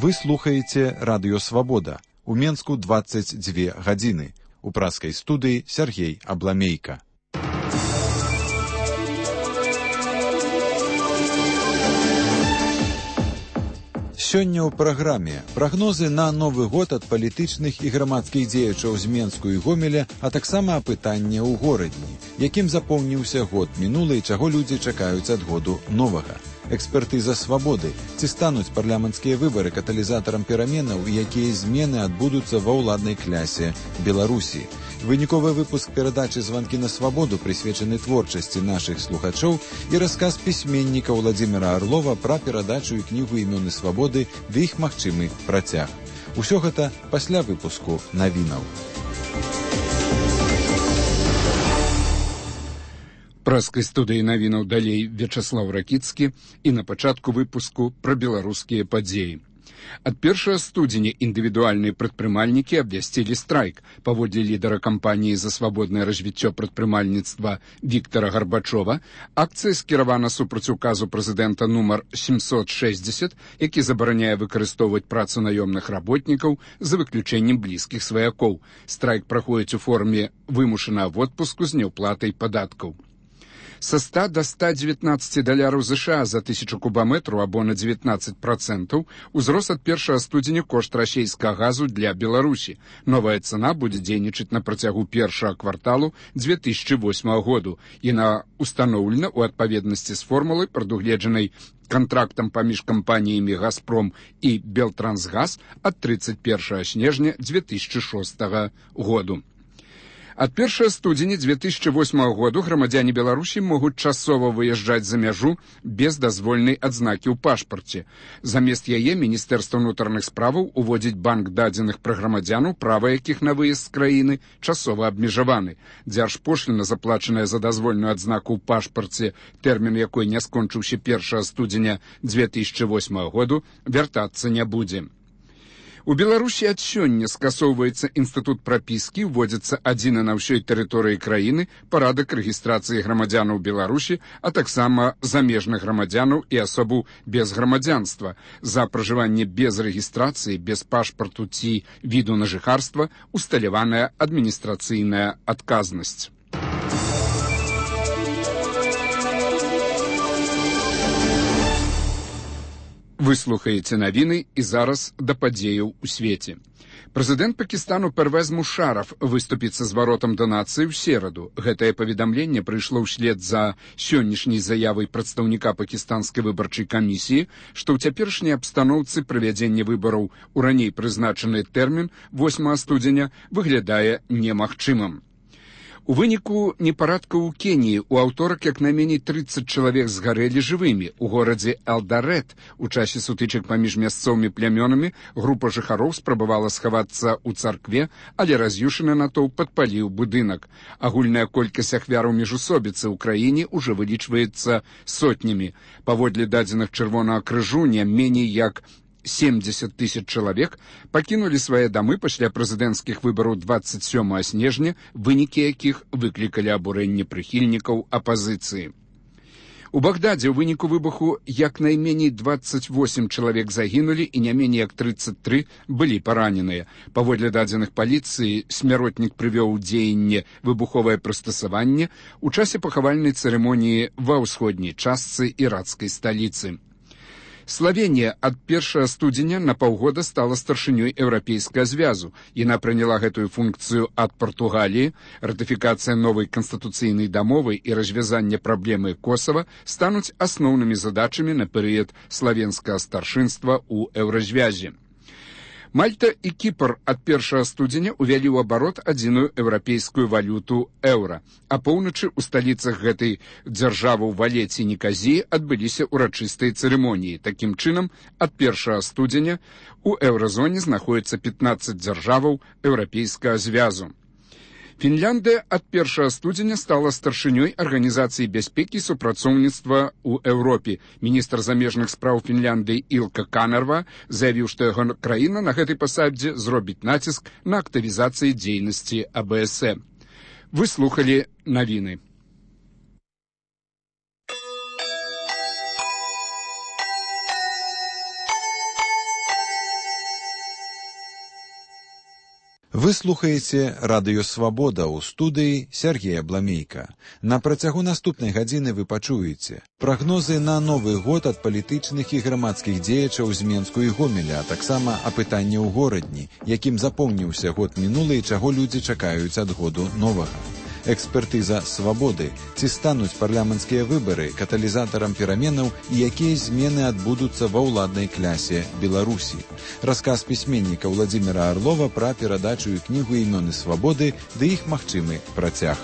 Вы слухаеце Радыё Свабода. У Менску 22 гадзіны. У праскай студыі Сергей Абламейка. Сёння ў праграме прагнозы на Новы год ад палітычных і грамадскіх дзеячаў з Менску і Гомеля, а таксама апытання ў горадні, якім запомніўся год мінулы і чаго людзі чакаюць ад году новага. Экспертыза свабоды. Ці стануць парламенцкія выбары каталізатарам пераменаў, якія змены адбудуцца ва ўладнай клясе Беларусі. Выніковы выпуск перадачы «Званкі на свабоду» прысвечаны творчасці нашых слухачоў і расказ пісьменніка Владзіміра Арлова пра перадачу і кнігу «Імёны свабоды» ды іх магчымы працяг. Усё гэта пасля выпуску навінаў. Праскай студыі навінаў далей Вячаслаў Ракіцкі і на пачатку выпуску пра беларускія падзеі. Ад 1 студзеня індывідуальныя прадпрымальнікі абвясцілі страйк. Паводле лідара кампаніі за свабоднае развіццё прадпрымальніцтва Віктара Гарбачова, акцыя скіравана супраць указу прэзідэнта нумар 760, які забараняе выкарыстоўваць працу наёмных работнікаў за выключэннем блізкіх сваякоў. Страйк праходзіць у форме вымушанага водпуску з няўплатай падаткаў. Са 100 до 119 даляраў США за 1000 кубаметраў або на 19% узрос ад 1 студзеня кошт расійскага газу для Беларусі. Новая цана будзе дзейнічаць на працягу першага кварталу 2008 году. Яна устаноўлена ў адпаведнасці з формулай, прадугледжанай кантрактам паміж кампаніямі «Газпром» і «Белтрансгаз» ад 31 снежня 2006 году. Ад 1 студзеня 2008 году грамадзяне Беларусі могуць часова выязджаць за мяжу без дазвольнай адзнакі ў пашпарце. Замест яе Міністэрства ўнутраных справаў уводзіць банк дадзеных пра грамадзянаў, права якіх на выезд з краіны часова абмежаваны. Дзяржпошліна, заплачаная за дазвольную адзнаку ў пашпарце, тэрмін якой не скончыўся 1 студзеня 2008 году, вяртацца не будзе. У Беларусі ад сёння скасоўваецца інстытут прапіскі, уводзіцца адзіны на ўсёй тэрыторыі краіны парадак рэгістрацыі грамадзянаў Беларусі, а таксама замежных грамадзянаў і асобу без грамадзянства. За пражыванне без рэгістрацыі, без пашпарту ці віду на жыхарства усталяваная адміністрацыйная адказнасць. Вы слухаеце навіны і зараз да падзеяў у свеце. Прэзідэнт Пакістану Первез Мушараф выступіць са зваротам да нацыі ў сераду. Гэтае паведамленне прыйшло ўслед за сённяшняй заявай прадстаўніка пакістанскай выбарчай камісіі, што ў цяперашняй абстаноўцы правядзення выбараў у раней прызначаны тэрмін 8 студзеня выглядае немагчымым. У выніку непарадкаў у Кеніі ў аўторак як найменей 30 чалавек згарэлі жывымі. У горадзе Элдарэт у часе сутычак паміж мясцовымі плямёнамі група жыхароў спрабавала схавацца ў царкве, але раз'юшаны натоўп падпаліў будынак. Агульная колькасць ахвяраў міжусобіцы ў краіне ўжо вылічваецца сотнямі. Паводле дадзеных Чырвонага крыжу не меней як 70 000 чалавек пакінулі свае дамы пасля прэзідэнцкіх выбараў 27 снежня, вынікі якіх выклікалі абурэнне прыхільнікаў апазіцыі. У Багдадзе ў выніку выбуху як найменей 28 чалавек загінулі і не меней як 33 былі параненыя. Паводле дадзеных паліцыі, смяротнік прывёў у дзеянне выбуховае прыстасаванне ў часе пахавальнай цырымоніі ва ўсходняй частцы іракскай сталіцы. Славенія ад 1 студзеня на паўгода стала старшынёй Еўрапейскага звязу. Яна прыняла гэтую функцыю ад Партугаліі. Ратыфікацыя новай канстытуцыйнай дамовы і развязанне праблемы Косава стануць асноўнымі задачамі на перыяд славенскага старшынства ў Еўразвязе. Мальта і Кіпр ад 1 студзеня увялі ў абарот адзіную еўрапейскую валюту еўра. А поўначы ў сталіцах гэтай дзяржавы ў Валеце і Неказіі адбыліся ўрачыстыя цырымоніі. Такім чынам, ад 1 студзеня у еўразоне знаходзіцца 15 дзяржаваў Еўрапейскага звязу. Фінляндыя ад 1 студзеня стала старшынёй Арганізацыі бяспекі і супрацоўніцтва ў Еўропе. Міністр замежных спраў Фінляндыі Ілка Канерва заявіў, што яго краіна на гэтай пасадзе зробіць націск на актывізацыі дзейнасці АБСЭ. Вы слухалі навіны. Вы слухаеце радыё «Свабода» ў студыі Сергея Бламейка. На працягу наступнай гадзіны вы пачуеце прагнозы на Новы год ад палітычных і грамадскіх дзеячаў з Менску і Гомеля, а таксама апытанне ў горадні, якім запомніўся год мінулы і чаго людзі чакаюць ад году новага. Экспертыза «Свабоды». Ці стануць парламенцкія выбары каталізатарам пераменаў і якія змены адбудуцца ва ўладнай клясе Беларусі. Расказ пісьменніка Владзіміра Арлова пра перадачу і кнігу «Імёны свабоды» ды іх магчымы працяг.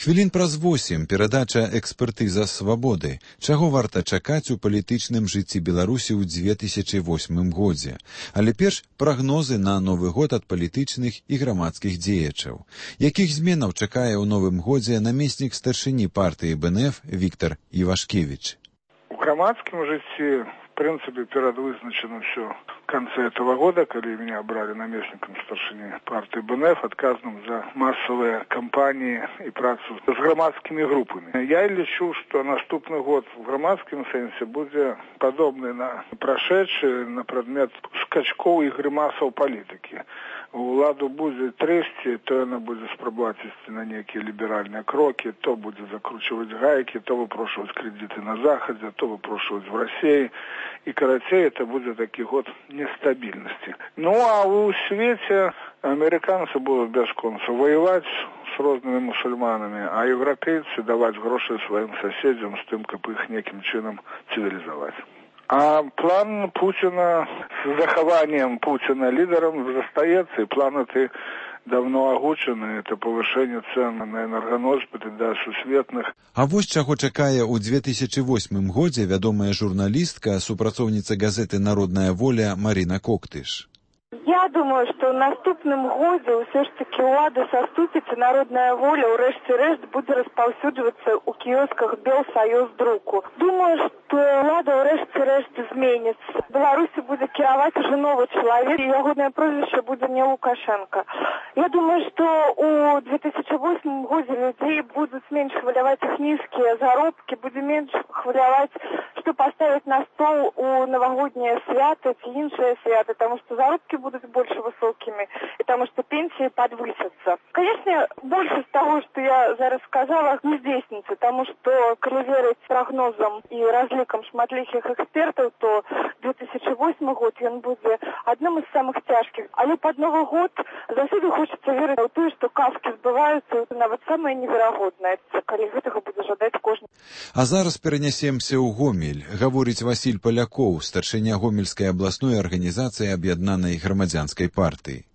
Хвілін праз 8 перадача «Экспертыза свабоды». Чаго варта чакаць у палітычным жыцці Беларусі ў 2008 годзе. Але перш прагнозы на Новы год ад палітычных і грамадскіх дзеячаў. Якіх зменаў чакае ў новым годзе намеснік старшыні партыі БНФ Віктор Івашкевіч? У грамадскім жыцці, в принципе, перадвызначено все в конце этого года, когда меня брали наместником старшины партии БНФ, отказанным за массовые кампании и працу с громадскими группами. Я лечу, что наступный год в громадском сенсе будет подобный на прошедший на предмет скачков и гримасов политики. Уладу будет трясти, то она будет спробовать идти на некие либеральные кроки, то будет закручивать гайки, то выпрошивать кредиты на Заходе, то выпрошивать в России. И, короче, это будет такой год нестабильности. Ну, а в свете американцы будут без конца воевать с разными мусульманами, а европейцы давать гроши своим соседям с тем, как их неким чином цивилизовать. А план Путина с захованием Путина лидером застаецца, и план эти давно огучены, это повышение цен на энергоносьбиты до сусветных. А вось чаго чакае ў 2008 годзе вядомая журналістка, супрацоўніца газеты «Народная воля» Марина Коктыш. Я думаю, что в наступным годзе все ж таки улада саступіцца, народная воля ў рэшце-рэшт будзе распаўсюджвацца ў кіёсках Белсоюз друку. Думаю, что улада ў рэшце-рэшт зменіцца. Беларусі будзе кіраваць уже новый чалавек, і ягонае прозвішча будзе не Лукашенко. Я думаю, что у 2008 годзе людей будут меньше хваляваць их низкие заробки, будет меньше хваляваць, что поставить на стол у новогодние свята, ці іншыя свята, потому что заробки будут больше высокими, и потому что пенсии подвысятся. Конечно, больше из того, что я зараз сказала, не здейснится, потому что, коли верить прогнозам и разликам шматлікіх экспертов, то 2008 год он будет одним из самых тяжких. Але под Новый год заўсёды хочется верить в то, что казки сбываются, нават самое неверагоднае, коли гэтага будзе жадаць кожны. А зараз перанесемся ў Гомель, гаворыць Васіль Палякоў, старшыня Гомельскай абласной арганізацыі аб'яднанай грамадзянскай партыі.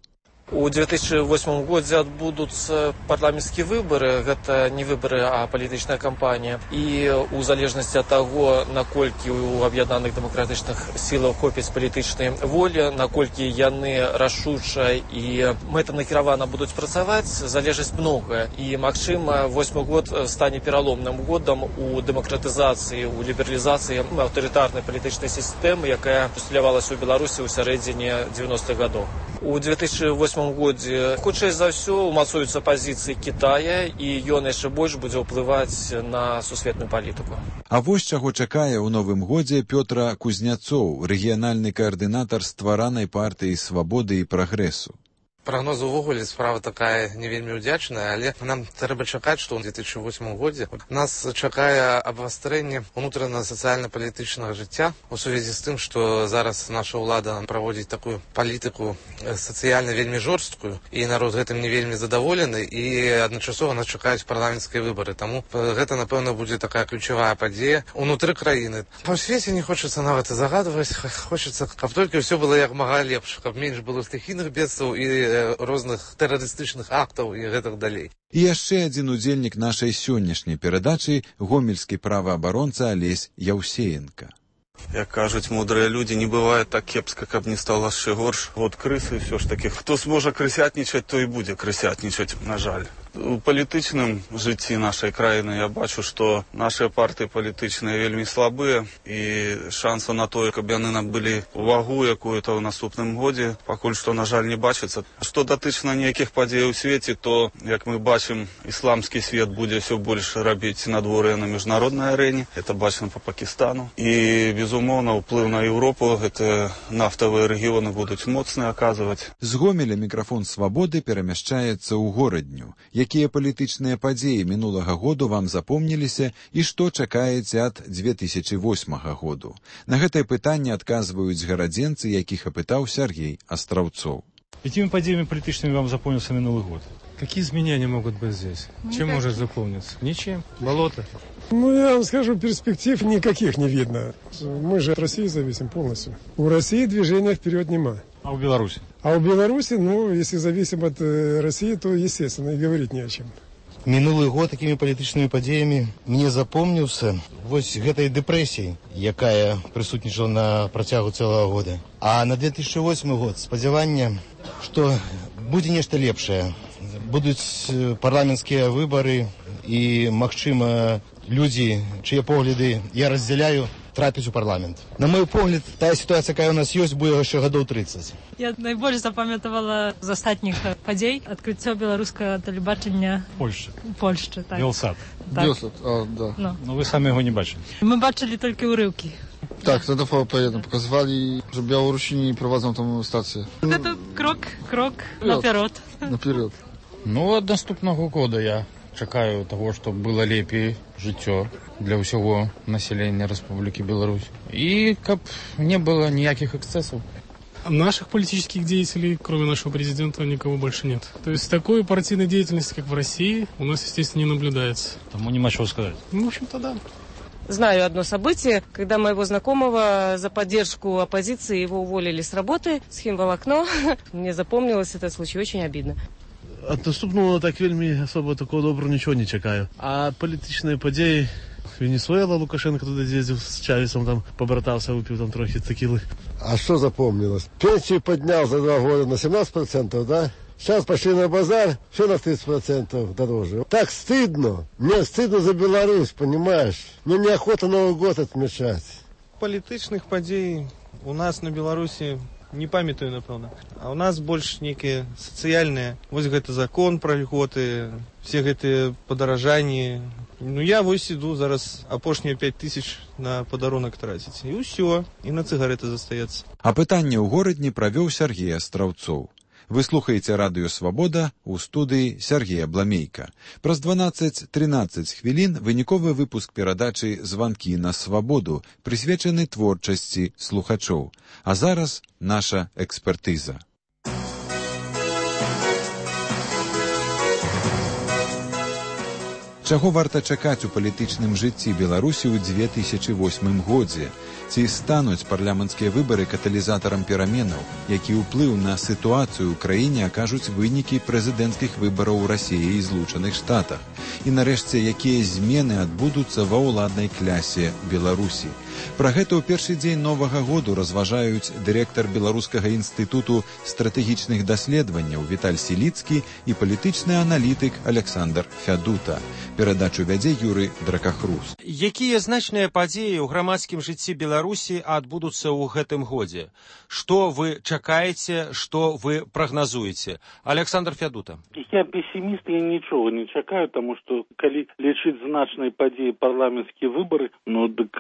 У 2008 годзе адбудуцца парламенцкія выбары, гэта не выбары, а палітычная кампанія. І у залежнасці ад таго, наколькі у аб'яднаных дэмакратычных сілаў хопіць палітычнай волі, наколькі яны рашуча і мэтанакіравана будуць працаваць, залежыць многае. І, магчыма, 8 год стане пераломным годам у дэмакратызацыі, у лібералізацыі аўтарытарнай палітычнай сістэмы, якая усталявалася ў Беларусі ў сярэдзіне 90-х гадоў. У 2008 годзе, хутчэй за ўсё, умацуюцца пазіцыі Кітая, і ён яшчэ больш будзе ўплываць на сусветную палітыку. А вось чаго чакае ў новым годзе Пётра Кузняцоў, рэгіянальны каардынатар стваранай партыі «Свабоды» і «Прагрэсу». Прогноз увогуле справа такая не вельмі ўдзячная, але нам трэба чакаць, што ў 2008 годзе нас чакае абвастрэнне унутрана-сацыяльна-палітычнага жыцця у сувязі з тым, што зараз наша ўлада праводзіць такую палітыку сацыяльна вельмі жорсткую, і народ гэтым не вельмі задаволены, і адначасова нас чакаюць парламенцкія выбары. Таму гэта, напэўна, будзе такая ключавая падзея унутры краіны. Па свеце не хочацца нават і загадваць, хочацца, каб толькі ўсё было як мага лепш, каб менш было стыхійных бедстваў і розных тэрарыстычных актаў і гэтак далей. І яшчэ адзін удзельнік нашай сённяшняй перадачы – гомельскі праваабаронца Алесь Яўсеенка. Як кажуць мудрыя людзі, не бывае так кепска, каб не стала яшчэ горш. От крысы ўсё ж такі, хто зможа крысятнічаць, то і будзе крысятнічаць, на жаль. У палітычным жыцці нашай краіны я бачу, што нашыя партыі палітычныя вельмі слабыя, і шанса на тое, каб яны набылі увагу якую-то ў наступным годзе, пакуль што, на жаль, не бачыцца. Што датычна нейкіх падзей у свеце, то, як мы бачым, ісламскі свет будзе ўсё больш рабіць надвор'е на міжнароднай арэне. Это бачна па Пакістану. І, безумоўна, ўплыў на Еўропу, гэта нафтавыя рэгіёны будуць моцна аказваць. З Гомеля мікрафон «Свабоды» перамяшчаецца ў горадню. Якія палітычныя падзеі мінулага году вам запомніліся і што чакаеце ад 2008 году? На гэтае пытанне адказваюць гарадзенцы, якіх апытаў Сергей Астраўцоў. Какими подеями политическими вам запомнился минулый год? Какие изменения могут быть здесь? Чем может запомниться? Ничем. Болото. Я вам скажу, перспектив никаких не видно. Мы же от России зависим полностью. У России движения вперед нема. А у Беларуси? А у Беларуси, если зависим от России, то, естественно, и говорить не о чем. Минулый год такими палітычнымі падзеямі мне запомніўся вось гэтай дэпрэсіяй, якая прысутнічала на працягу цэлага года. А на 2008 год спадзяванне, што будзе нешта лепшае. Будуць парламенцкія выбары і, магчыма, людзі, чые погляды я раздзяляю, трапіць у парламент. На мой погляд, тая сітуацыя, якая у нас ёсць, будзе яшчэ гадоў 30. Я найбольш запамятавала з астатніх падзей адкрыццё беларускага тэлебачання Польшчы. Так. Белсат. Так. Белсат, да. Но вы самі яго не бачили. Мы бачили толькі ўрыўкі. Так, to TVP1 показывали, że Białorusini prowadzą tą stację. Это крок наперед. Наперед. От наступного года я чакаю того, что было лепей жыццё для ўсяго населения Республики Беларусь. И каб не было никаких эксцессов. Наших политических деятелей, кроме нашего президента, никого больше нет. То есть такой партийной деятельности, как в России, у нас, естественно, не наблюдается. Тому нема чего сказать. В общем-то, да. Знаю одно событие, когда моего знакомого за поддержку оппозиции его уволили с работы, с химволокно. Мне запомнилось этот случай, очень обидно. От наступного так вельми особо такого доброго ничего не чекаю. А політичні події, Венесуэла, Лукашенко туди з'їздив з Чавесом, там побратався, випив там трохи текіли. А что запомнилось? Пенсию поднял за 2 года на 17%, да? Сейчас пошли на базар, все на 30% дороже. Так стыдно. Мне стыдно за Беларусь, понимаешь? Мне неохота Новый год отмечать. Політичних подій у нас на Беларусі не памятаю, напэўна. А у нас больш нейкія сацыяльныя. Вось гэты закон пра льготы, все гэтыя падаражанні. Я вось іду зараз апошнія 5000 на падарунак траціць. І ўсё, і на цыгареты застаецца. Апытанне ў горадні правёў Сергей Астраўцоў. Вы слухаеце радыё «Свабода» у студыі Сергея Бламейка. Праз 12-13 хвілін выніковы выпуск перадачы «Званкі на свабоду» прысвечаны творчасці слухачоў. А зараз наша экспертыза. Чаго варта чакаць у палітычным жыцці Беларусі ў 2008 годзе? Ці стануць парламенцкія выбары каталізатарам пераменаў, які ўплыў на сітуацыю ў краіне акажуць вынікі прэзідэнцкіх выбараў у Расіі і Злучаных Штатах? І нарэшце, якія змены адбудуцца ва ўладнай клясе Беларусі? Пра гэта ў першы дзень новага году разважаюць дырэктар Беларускага інстытуту стратэгічных даследаванняў Віталь Сіліцкі і палітычны аналітык Александр Фядута. Перадачу вядзе Юрый Дракахрус. Якія значныя падзеі ў грамадскім жыцці Беларусі адбудуцца ў гэтым годзе? Што вы чакаеце, што вы прагназуеце? Александр Фядута. Я пессимист, я нічога не чакаю, таму што калі лічыць значныя падзеі парламенцкія выбары, дык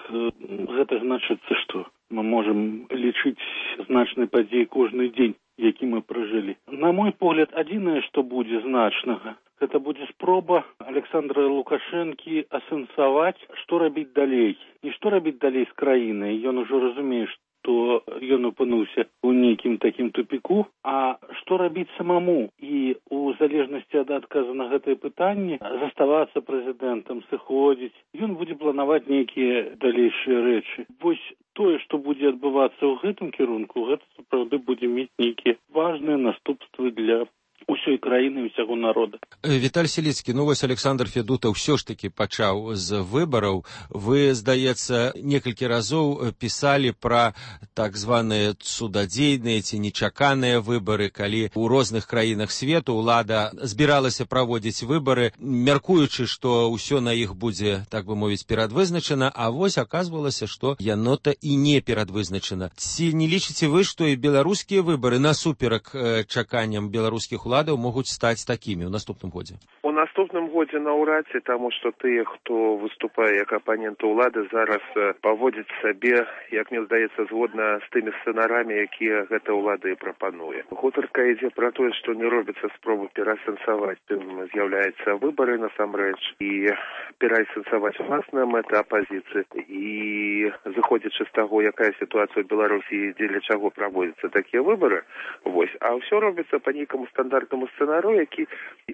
гэта значыцца, што мы можам лічыць значныя падзеі кожны дзень, які мы пражылі. На мой погляд, адзінае, што будзе значнага, гэта будзе спроба Александра Лукашэнкі асэнсаваць, што рабіць далей. Не што рабіць далей з краінай. Ён ужо разумее, што ён апынуўся ў нейкім такім тупіку, а што рабіць самому. І у залежнасці ад адказу на гэтае пытанне заставацца прэзідэнтам, сыходзіць. Ён будзе планаваць нейкія далейшыя рэчы. Вось тое, што будзе адбывацца ў гэтым кірунку, гэта сапраўды будзе мець нейкія важныя наступствы для усёй краіны і ўсяго народа. Віталь Селіцкі, ну вось Александр Федута ўсё ж такі пачаў з выбараў. Вы, здаецца, некалькі разоў пісалі пра так званыя цудадзейныя ці нечаканыя выбары, калі ў розных краінах свету ўлада збіралася праводзіць выбары, мяркуючы, што ўсё на іх будзе, так бы мовіць, перадвызначана, а вось аказвалася, што яно-то і не перадвызначана. Ці не лічыце вы, што і беларускія выбары насуперак чаканням беларускіх уладаў могуць стаць такімі ў наступным годзе? У наступным годзе наўрад ці, таму што тыя, хто выступае як апаненты ўлады, зараз паводзяць сабе, як мне здаецца, згодна з тымі сцэнарамі, якія гэта ўлада і прапануе. Гутарка ідзе пра тое, што не робіцца спробы перасэнсаваць, з'яўляецца выбары насамрэч, і перасэнсаваць уласная мэта апазіцыі. І зыходзячы з таго, якая сітуацыя ў Беларусі, дзеля чаго праводзяцца такія выбары, вось, а ўсё робіцца па нейкаму стандартнаму сцэнару, які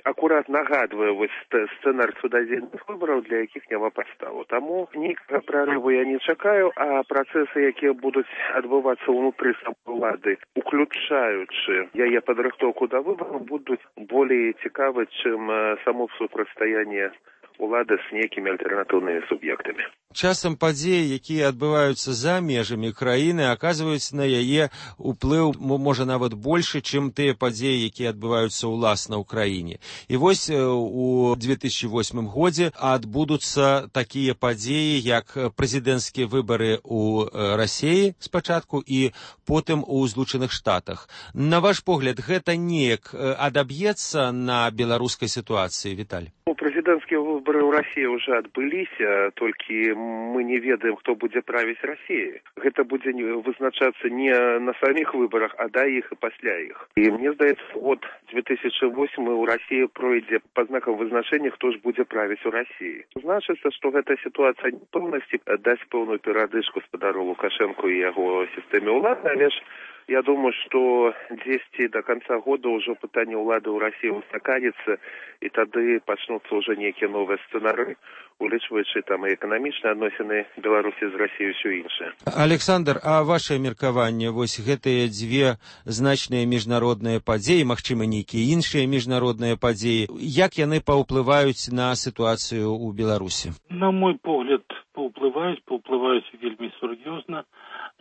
акурат нагадвае вось сцэнар цудадзейных выбараў, для якіх няма падставу. Таму ніякага прарыву я не чакаю, а працэсы, якія будуць адбывацца ўнутры самой улады, уключаючы яе падрыхтоўку да выбараў, будуць болей цікавы, чым само супрацьстаянне улады з нейкімі альтэрнатыўнымі суб'ектамі. Часам падзеі, якія адбываюцца за межамі краіны, аказваюць на яе ўплыў, можа, нават большы, чым тыя падзеі, якія адбываюцца ўласна ў краіне. І вось у 2008 годзе адбудуцца такія падзеі, як прэзідэнцкія выбары ў Расіі спачатку і потым у Злучаных Штатах. На ваш погляд, гэта неяк адаб'ецца на беларускай сітуацыі, Віталь? Прэзідэнцкія выбары ў Расіі ўжо адбыліся, толькі мы не ведаем, хто будзе правіць Расіяй. Гэта будзе вызначацца не на саміх выбарах, а да іх і пасля іх. І мне здаецца, от 2008 у Расіі пройдзе па знакам вызначэння, хто ж будзе правіць у Расіі. Значыцца, што гэта сітуацыя непэўнасці дасць пэўную перадышку спадару Лукашэнку і яго сістэме ўлады, але ж я думаю, што дзесьці до конца года ўжо пытанне ўлады ў Расіі устаканіцца, і тады пачнуцца ўжо нейкія новыя сцэнары, улічваючы там і эканамічныя адносіны Беларусі з Расіяй, ўсё іншае. Александр, а ваше меркаванне, вось гэтыя дзве значныя міжнародныя падзеі, магчыма, нейкія іншыя міжнародныя падзеі, як яны паўплываюць на сітуацыю ў Беларусі? На мой погляд, паўплываюць вельмі сур'ёзна.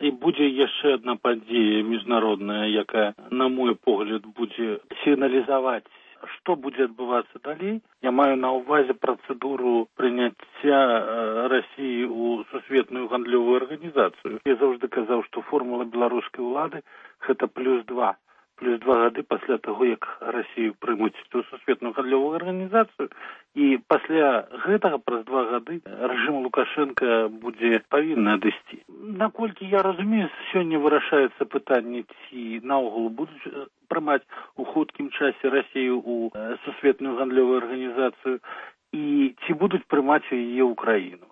І будзе яшчэ адна падзея міжнародная, якая, на мой погляд, будзе сігналізаваць, што будзе адбывацца далей. Я маю на ўвазе працэдуру прыняцця Расіі ў сусветную гандлёвую арганізацыю. Я заўжды казаў, што формула беларускай улады – гэта +2 гады пасля таго, як Расію прымуць у сусветную гандлёвую арганізацыю. І пасля гэтага, праз 2 гады, рэжым Лукашэнка павінны адысці. Наколькі я разумею, сёння вырашаецца пытанне, ці наогул будуць прымаць у хуткім часе Расію ў сусветную гандлёвую арганізацыю, і ці будуць прымаць яе ў краіну.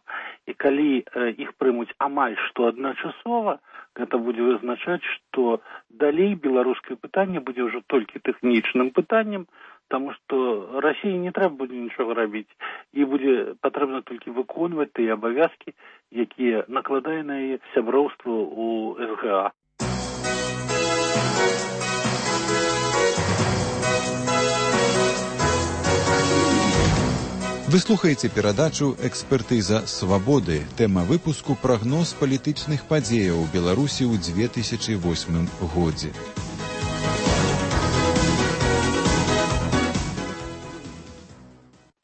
І калі іх прымуць амаль што адначасова, гэта будзе вызначаць, што далей беларускае пытанне будзе ўжо толькі тэхнічным пытаннем, таму што Расіі не трэба будзе нічога рабіць, і будзе патрэбна толькі выконваць тыя абавязкі, якія накладае на яе сяброўства ў СГА. Вы слухаеце перадачу «Экспертыза свабоды». Тэма выпуску – прагноз палітычных падзеяў у Беларусі ў 2008 годзе.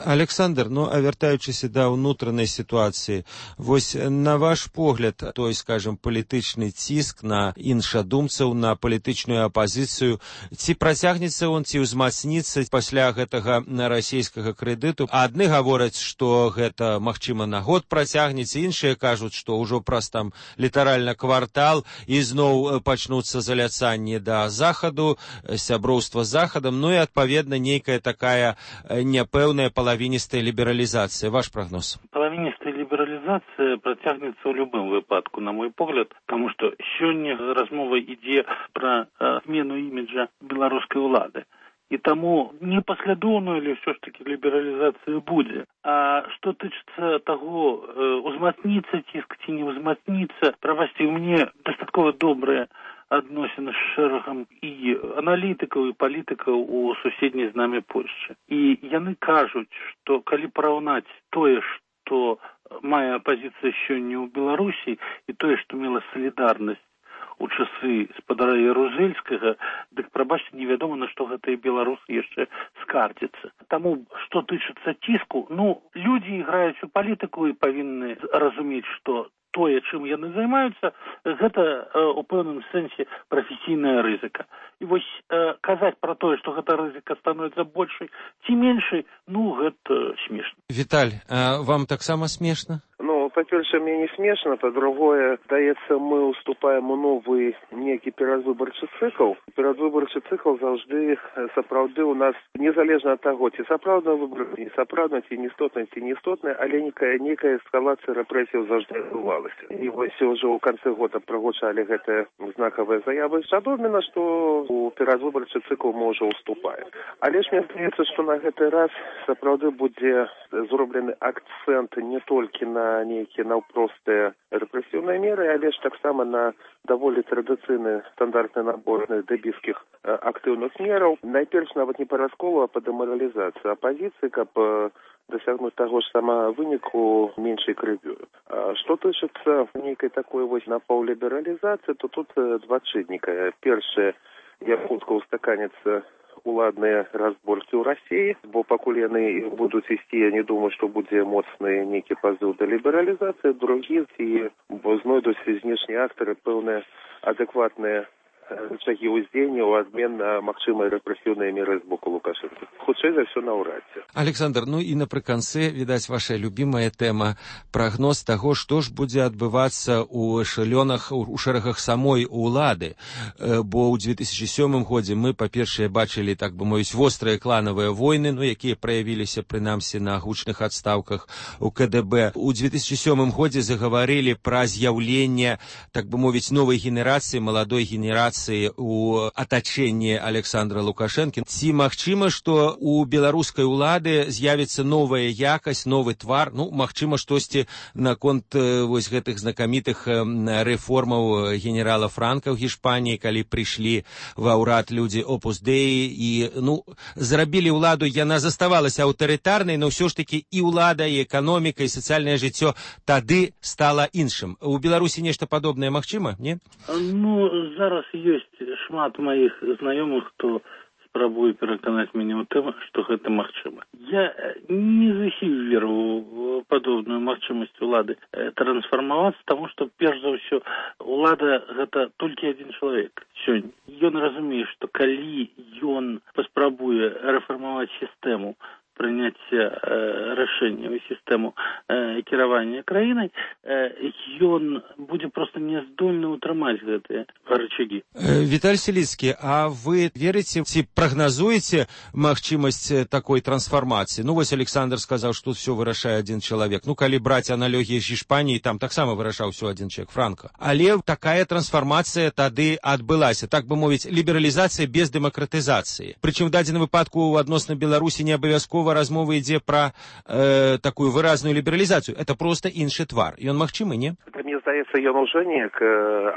Александр, ну, а вяртаючыся да ўнутранай сітуацыі, вось на ваш погляд, той, скажем, палітычны ціск на іншадумцаў, на палітычную апазіцыю, ці працягнецца он, ці ўзмацніцца пасля гэтага расійскага крэдыту? Адны гавораць, што гэта, магчыма, на год працягнецца, іншыя кажуць, што ўжо праз там літаральна квартал і зноў пачнуцца заляцанні да захаду, сяброўства з захадам, ну і, адпаведна, нейкая такая няпэўная половинистая либерализация. Ваш прогноз? Половинистая либерализация працягнецца ў любым выпадку, на мой погляд, потому что сёння размова ідзе пра змену іміджа беларускай улады. І таму непаслядоўную, але ўсё ж таки лібералізацыя будзе. А што тычыцца таго, узмацніцца ціск ці не ўзмацніцца, правасці ў мяне дастаткова добрыя адносін з шэрагам і аналітыкаў і палітыкаў у суседняй з намі Польшчы. І яны кажуць, што калі параўнаць тое, што мае апазіцыя сёння ў Беларусі і тое, што мела салідарнасць у часы спадара Ярузельскага, дык, прабачце, невядома, на што гэтыя беларусы яшчэ скардзяцца. Таму, што тычыцца ціску, людзі іграюць у палітыку і павінны разумець, што тое, чым яны займаюцца, гэта у пэўным сэнсе прафесійная рызыка. І вось казаць пра тое, што гэта рызыка становіцца большай ці меншай, гэта смешна. Віталь, а вам таксама смешна? Па-першае, мне не смешна, па-другое, здаецца, мы уступаем у новы некі перадвыбарчы цыкл. Перадвыбарчы цыкл заўжды сапраўды у нас, незалежна ад таго, ці сапраўдна выбары, не сапраўдна, ці неістотна, але некая эскалацыя рэпрэсіяў заўжды адбывалася. І вось ужо ў канцы года прагучалі гэтыя знакавыя заявы. Адомена, што у перадвыбарчы цыкл мы ўжо уступаем. Але ж мне здаецца, што на гэты раз сапраўды будзе зроблены акцэнт не толькі на нейкія наўпростыя рэпрэсіўныя меры, але ж таксама на даволі традыцыйны стандартны набор дэбіскіх актыўных мераў. Найперш нават не па расколу, а па дэмаралізацыі апазіцыі, каб дасягнуць таго ж самага выніку меншай крывёю. Што тычыцца нейкай такой вось напаўлібералізацыі, то тут два чынніка. Першае, як хутка устаканяцца уладныя разборкі ў Расіі, бо пакуль яны будуць ісці, я не думаю, што будзе моцны нейкі пазыў да лібералізацыі. Другі, ці знойдуць знешнія актары пэўныя адэкватныя рычагі ўздзеяння ў адмен на магчымыя рэпрэсіўныя меры з боку Лукашэнкі. Хутчэй за ўсё наўрад ці. Александр, і напрыканцы, відаць, ваша любімая тэма, прагноз таго, што ж будзе адбывацца ў эшэлёнах, у шэрагах самой улады. Бо ў 2007 годзе мы, па-першае, бачылі, так бы мовіць, вострыя кланавыя войны, якія праявіліся, прынамсі, на гучных адстаўках у КДБ. У 2007 годзе загаварылі пра з'яўленне, так бы мовіць, новай генерацыі, маладой генерацыі у атачэнні Александра Лукашэнкі. Ці магчыма, што у беларускай улады з'явіцца новая якасць, новы твар, магчыма, штосьці наконт вось гэтых знакамітых рэформаў генерала Франка ў Гішпаніі, калі прыйшлі ва ўрад людзі Опус Деі і, зрабілі ўладу, яна заставалася аўтарытарнай, но ўсё ж такі і ўлада, і эканоміка, і сацыяльнае жыццё тады стала іншым. У Беларусі нешта падобнае магчыма, не? Зараз ёсць шмат маіх знаёмых, хто спрабуе пераканаць мяне ў тым, што гэта магчыма. Я не зусім веру ў падобную магчымасць улады трансфармавацца, таму што, перш за ўсё, улада гэта толькі адзін чалавек сёння. Ён разумее, што калі ён паспрабуе рэфармаваць сістэму прыняцця рашэнняў і сістэму кіравання краінай, ён будзе проста няздольны ўтрымаць гэтыя рычагі. Віталь Селіцкі, а вы верыце ці прагназуеце магчымасць такой трансфармацыі? Вось Александр сказаў, што ўсё вырашае адзін чалавек. Калі браць аналогіі з Гішпаніі, там таксама вырашаў усё адзін чалавек, Франка. Але такая трансфармацыя тады адбылася, так бы мовіць, лібералізацыя без дэмакратызацыі. Прычым в дадзеным выпадку адносна Беларусі не абавязкова размова ідзе пра такую выразную лібералізацыю. Это проста іншы твар. Ён магчымы, не? Мне здаецца, ён ужо неяк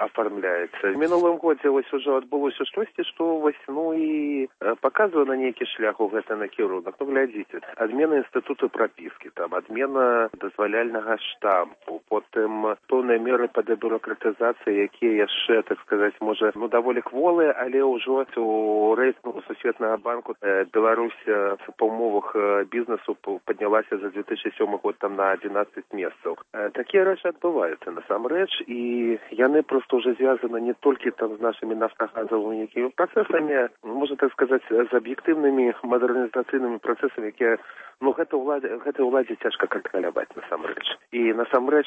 афармляецца. В мінулым годзе вось ужо адбылося штосьці, што вось, і паказвае на нейкі шлях у гэты накірунак. Глядзіце, адмена інстытуту прапіскі, там, адмена дазваляльнага штампу, потым пэўныя меры па дэбюракратызацыі, якія яшчэ, так сказаць, можа, даволі кволыя, але ўжо у рэйтынгу Сусветнага банку Беларусь па умовах бізнесу паднялася за 2007 год там на 11 месцаў. Такія рэчы адбываюцца насамрэч, і яны проста ўжо звязаны не толькі там з нашымі нафтагазавымі якімі працэсамі, можна так сказаць, з аб'ектыўнымі мадэрнізацыйнымі працэсамі, якія гэтай уладзе цяжка кантраляваць насамрэч. І насамрэч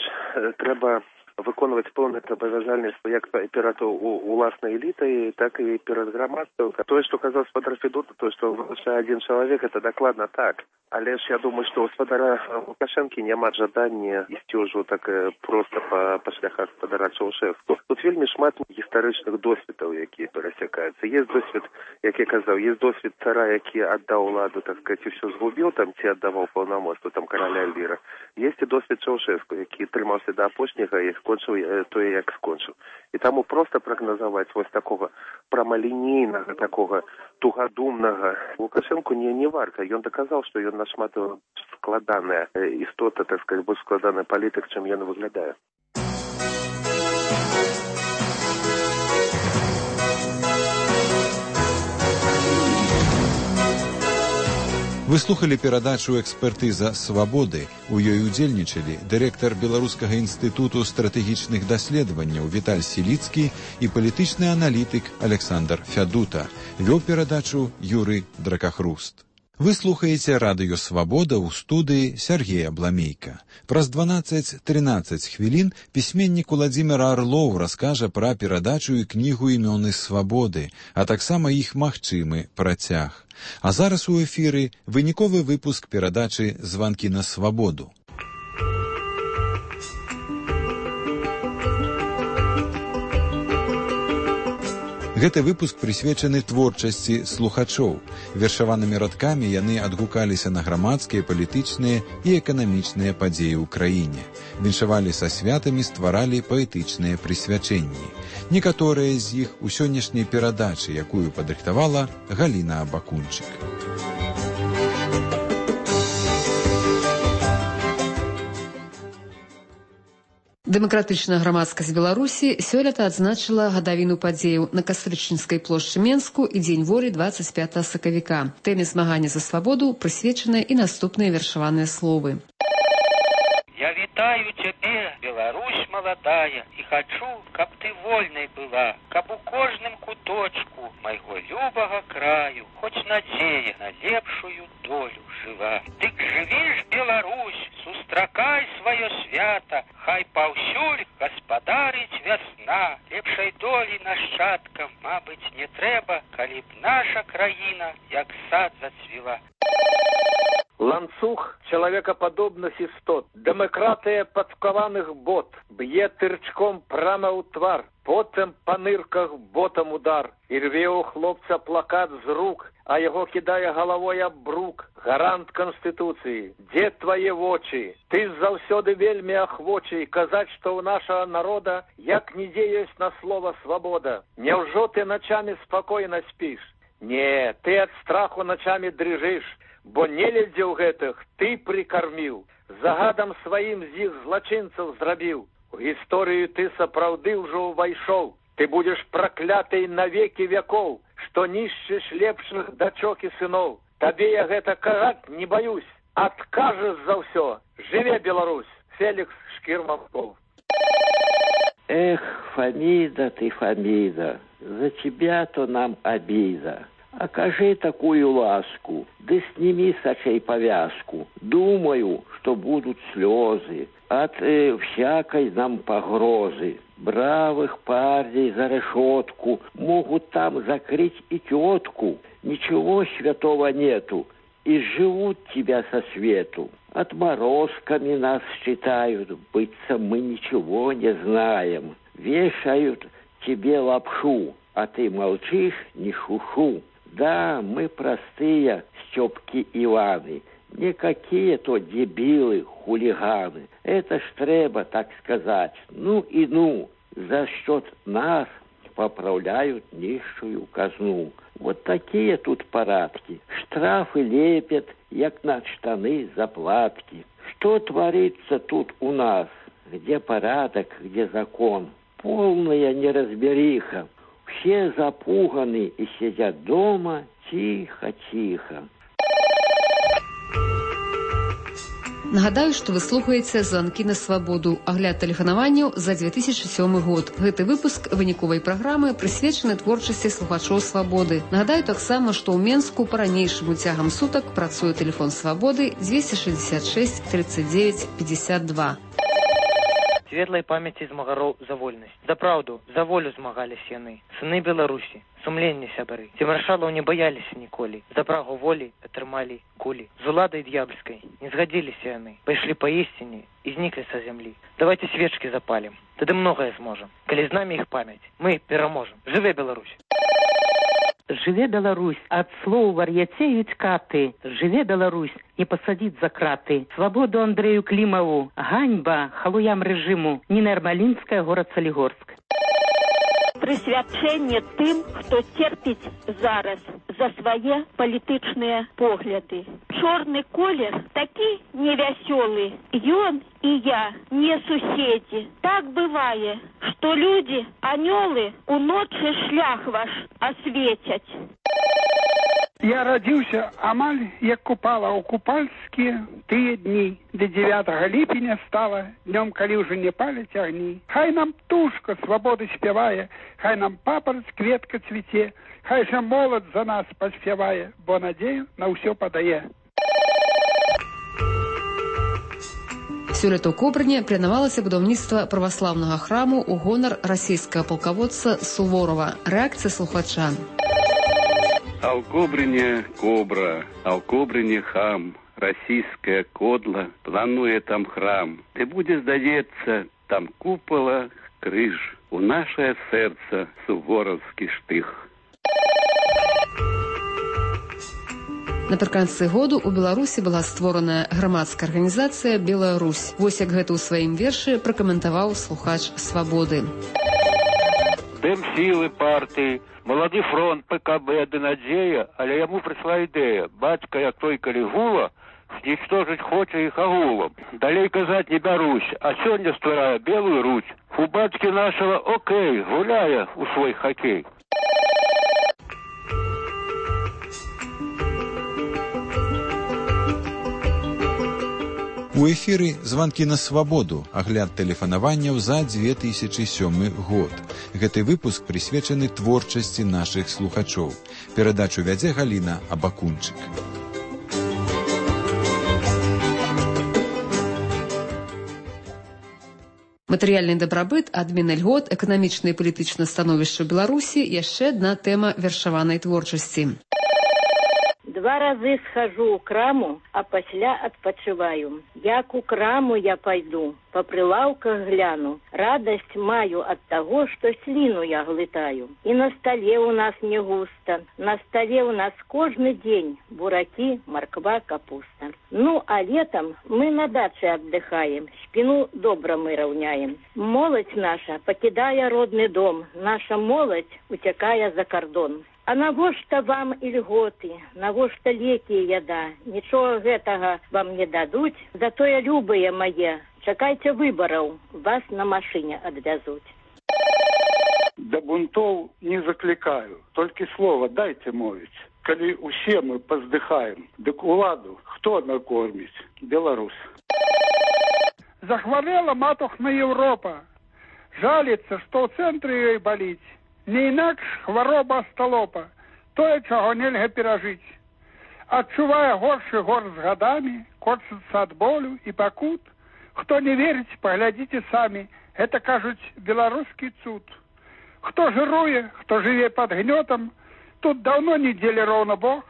трэба выконваць пэўныя абавязальніцтвы як перад уласнай элітай, так і перад грамадствам. Тое, што казаў спадар Федота, тое, што вырашае адзін чалавек, это дакладна так. Але ж я думаю, што ў спадара Лукашэнкі няма жадання ісці ўжо так проста па шляхах спадара Чаўшэску. Тут вельмі шмат гістарычных досведаў, якія перасякаюцца. Есть досвед, як я казаў, есть досвед цара, які аддаў уладу, так сказать, усё згубіў там ці аддаваў паўнамоцтва там караля Эльвіра. Есть і досвед Чаўшэску, які трымаўся да апошняга і скончыў тое, як скончыў. І таму проста прагназаваць вось такога прамалінейнага, такога тугадумнага Лукашэнку не варта. Ён даказаў, што ён нашмат складаная істота, так сказать, больш складаны палітык, чым ён выглядае. Вы слухали перадачу «Экспертыза свабоды». У ёй удзельнічалі дырэктар Беларускага інстытуту стратэгічных даследаванняў Віталь Сіліцкі і палітычны аналітык Александр Фядута. Вёў перадачу Юрый Дракахруст. Вы слухаеце радыё «Свабода» ў студыі Сергея Бламейка. Праз 12-13 хвілін пісьменнік Уладзімір Арлоў раскажа пра перадачу і кнігу «Імёны свабоды», а таксама іх магчымы працяг. А зараз у эфіры выніковы выпуск перадачы «Званкі на свабоду». Гэты выпуск прысвечаны творчасці слухачоў. Вершаванымі радкамі яны адгукаліся на грамадскія, палітычныя і эканамічныя падзеі ў краіне. Віншавалі са святамі, стваралі паэтычныя прысвячэнні. Некаторыя з іх у сённяшняй перадачы, якую падрыхтавала Галіна Абакунчык. Дэмакратычная грамадскасць Беларусі сёлета адзначыла гадавіну падзеяў на Кастрычніцкай плошчы Менску і Дзень волі 25 сакавіка. Тэме змагання за свабоду прысвечаныя і наступныя вершаваныя словы. Я вітаю цябе, Беларусь маладая, і хачу, каб ты вольнай была, каб у кожным куточку майго любага краю хоць надзея на лепшую долю жыла. Дык жыві ж, Беларусь, сустракай сваё свята, хай паўсюль гаспадарыць вясна. Лепшай долі нашчадкам, мабыць, не трэба, калі б наша краіна як сад зацвіла. Ланцуг человекоподобных істот, демократия подкованных бот, б'е тырчком прямо у твар, потом по нырках ботом удар, и рве у хлопца плакат з рук, а его кидая головой об брук. Гарант Конституции, где твои вочи? Ты заўсёды вельми охвочий казать, что у нашего народа як нідзе есть на слово свобода. Няўжо ты ночами спокойно спишь? Не, ты от страху ночами дрыжишь. Бо нелюдзяў гэтых ты прикормил, загадам сваім з іх злачынцаў зрабіў. У гісторыю ты сапраўды ўжо ўвайшоў. Ты будешь проклятай на веки веков, что нішчыш лепшых дачок і сыноў. Табе я гэта казаць не боюсь. Откажешь за ўсё. Жыве, Беларусь! Феликс Шкирманков. Эх, Фамида ты, Фамида, за тебя-то нам обида. Окажи такую ласку, да сними с очей повязку. Думаю, что будут слезы от всякой нам погрозы. Бравых парней за решетку могут там закрыть и тетку. Ничего святого нету, и живут тебя со свету. Отморозками нас считают, быться мы ничего не знаем. Вешают тебе лапшу, а ты молчишь, не шушу. Да, мы простые Степки Иваны, не какие-то дебилы, хулиганы. Это ж треба, так сказать, ну и ну, за счет нас поправляют нищую казну. Вот такие тут порядки. Штрафы лепят, як на штаны заплатки. Что творится тут у нас? Где порядок, где закон? Полная неразбериха. Все запуганы и сидят дома тихо-тихо. Нагадаю, што вы слухаеце «Званкі на свабоду», агляд тэлефанаванняў за 2007 год. Гэты выпуск выніковай праграмы прысвечаны творчасці слухачоў свабоды. Нагадаю таксама, што ў Менску па-ранейшаму цягам сутак працуе тэлефон свабоды 266 39 52. светлай памяці змагароў за вольнасць. За праўду, за волю змагаліся яны, сыны Беларусі, сумленне сябры. Ці маршалаў не баяліся ніколі, за прагу волі атрымалі кулі. З уладай д'ябальскай не згадзіліся яны, пайшлі па ісціне і зніклі са зямлі. Давайте свечкі запалім, тады многае зможам. Калі з намі іх памяць, мы пераможам. Жыве Беларусь! Жыве Беларусь, ад слоў вар'яцеюць каты. Жыве Беларусь, не пасадзіць за краты. Свабоду Андрэю Клімаву, ганьба халуям рэжыму. Ніна Ярмалінская, горад Салігорск. Прысвячэнне тым, хто церпіць зараз за свае палітычныя погляды. Чорны колер такі невясёлы. Ён і я не суседзі. Так бывае, што людзі, анёлы, уночы шлях ваш асвецяць. Я радзіўся амаль як купала ў купальскія тыя дні, де 9 ліпеня стала днём, калі ўжо не паляць агні. Хай нам птушка свабоды спявае, хай нам папараць кветка цвіце, хай жа молад за нас паспявае, бо надзею на ўсё падае. Сёлета ў Кобрыне планавалася будаўніцтва праваслаўнага храму ў гонар расійскага палкаводца Суворова. Рэакцыя слухача. А в Кобрыне кобра, а в Кобрыне хам, российская кодла, плануе там храм. Ты будешь, здається, там купола, крыж, у наше сердце суворовский штых. Напрыканцы году у Беларусі была створаная грамадская арганізацыя «Белая Русь». Вось як гэта ў сваім вершы пракаментаваў слухач «Свабоды». Дым сілы партыі, малады фронт ПКБ ды надзея, але яму прыйшла ідэя. Бацька, як той Калігула, знічтожыць хоча іх агулам. Далей казаць не бярусь, а сёння стварае Белую Русь. У бацькі нашага окей, гуляе у свой хакей. У эфіры «Званкі на свабоду», агляд тэлефанаванняў за 2007 год. Гэты выпуск прысвечаны творчасці нашых слухачоў. Перадачу вядзе Галіна Абакунчык. Матэрыяльны дабрабыт, адмена льгот, эканамічнае і палітычнае становішча Беларусі – яшчэ адна тэма вершаванай творчасці. 2 разы схожу ў краму, а пасля адпачываю. Як у краму я пайду, па прылаўках гляну. Радасць маю ад таго, што сліну я глытаю. І на стале ў нас не густа. На стале ў нас кожны дзень буракі, марква, капуста. Ну, а летом мы на даче отдыхаем, спину добра мы раўняем. Моладзь наша пакідае родны дом, наша моладзь уцякае за кардон. А навошта вам і льготы, навошта лекі і яда? Нічога гэтага вам не дадуць, затое любыя мае. Чакайце выбараў, вас на машыне адвязуць. Да бунтоў не заклікаю, толькі слова дайце мовіць. Калі усе мы паздыхаем, дык уладу хто накорміць? Беларусь. Захварэла матухна Еўропа. Жаліцца, што ў цэнтры ёй баліць. Не інакш хвароба сталопа, тое, чаго нельга перажыць. Адчувае горшы гор з гадамі, корчыцца ад болю і пакут. Хто не верыць, паглядзіце самі, гэта, кажуць, беларускі цуд. Хто жыруе, хто жыве пад гнётам, тут даўно не дзелі роўна Бог.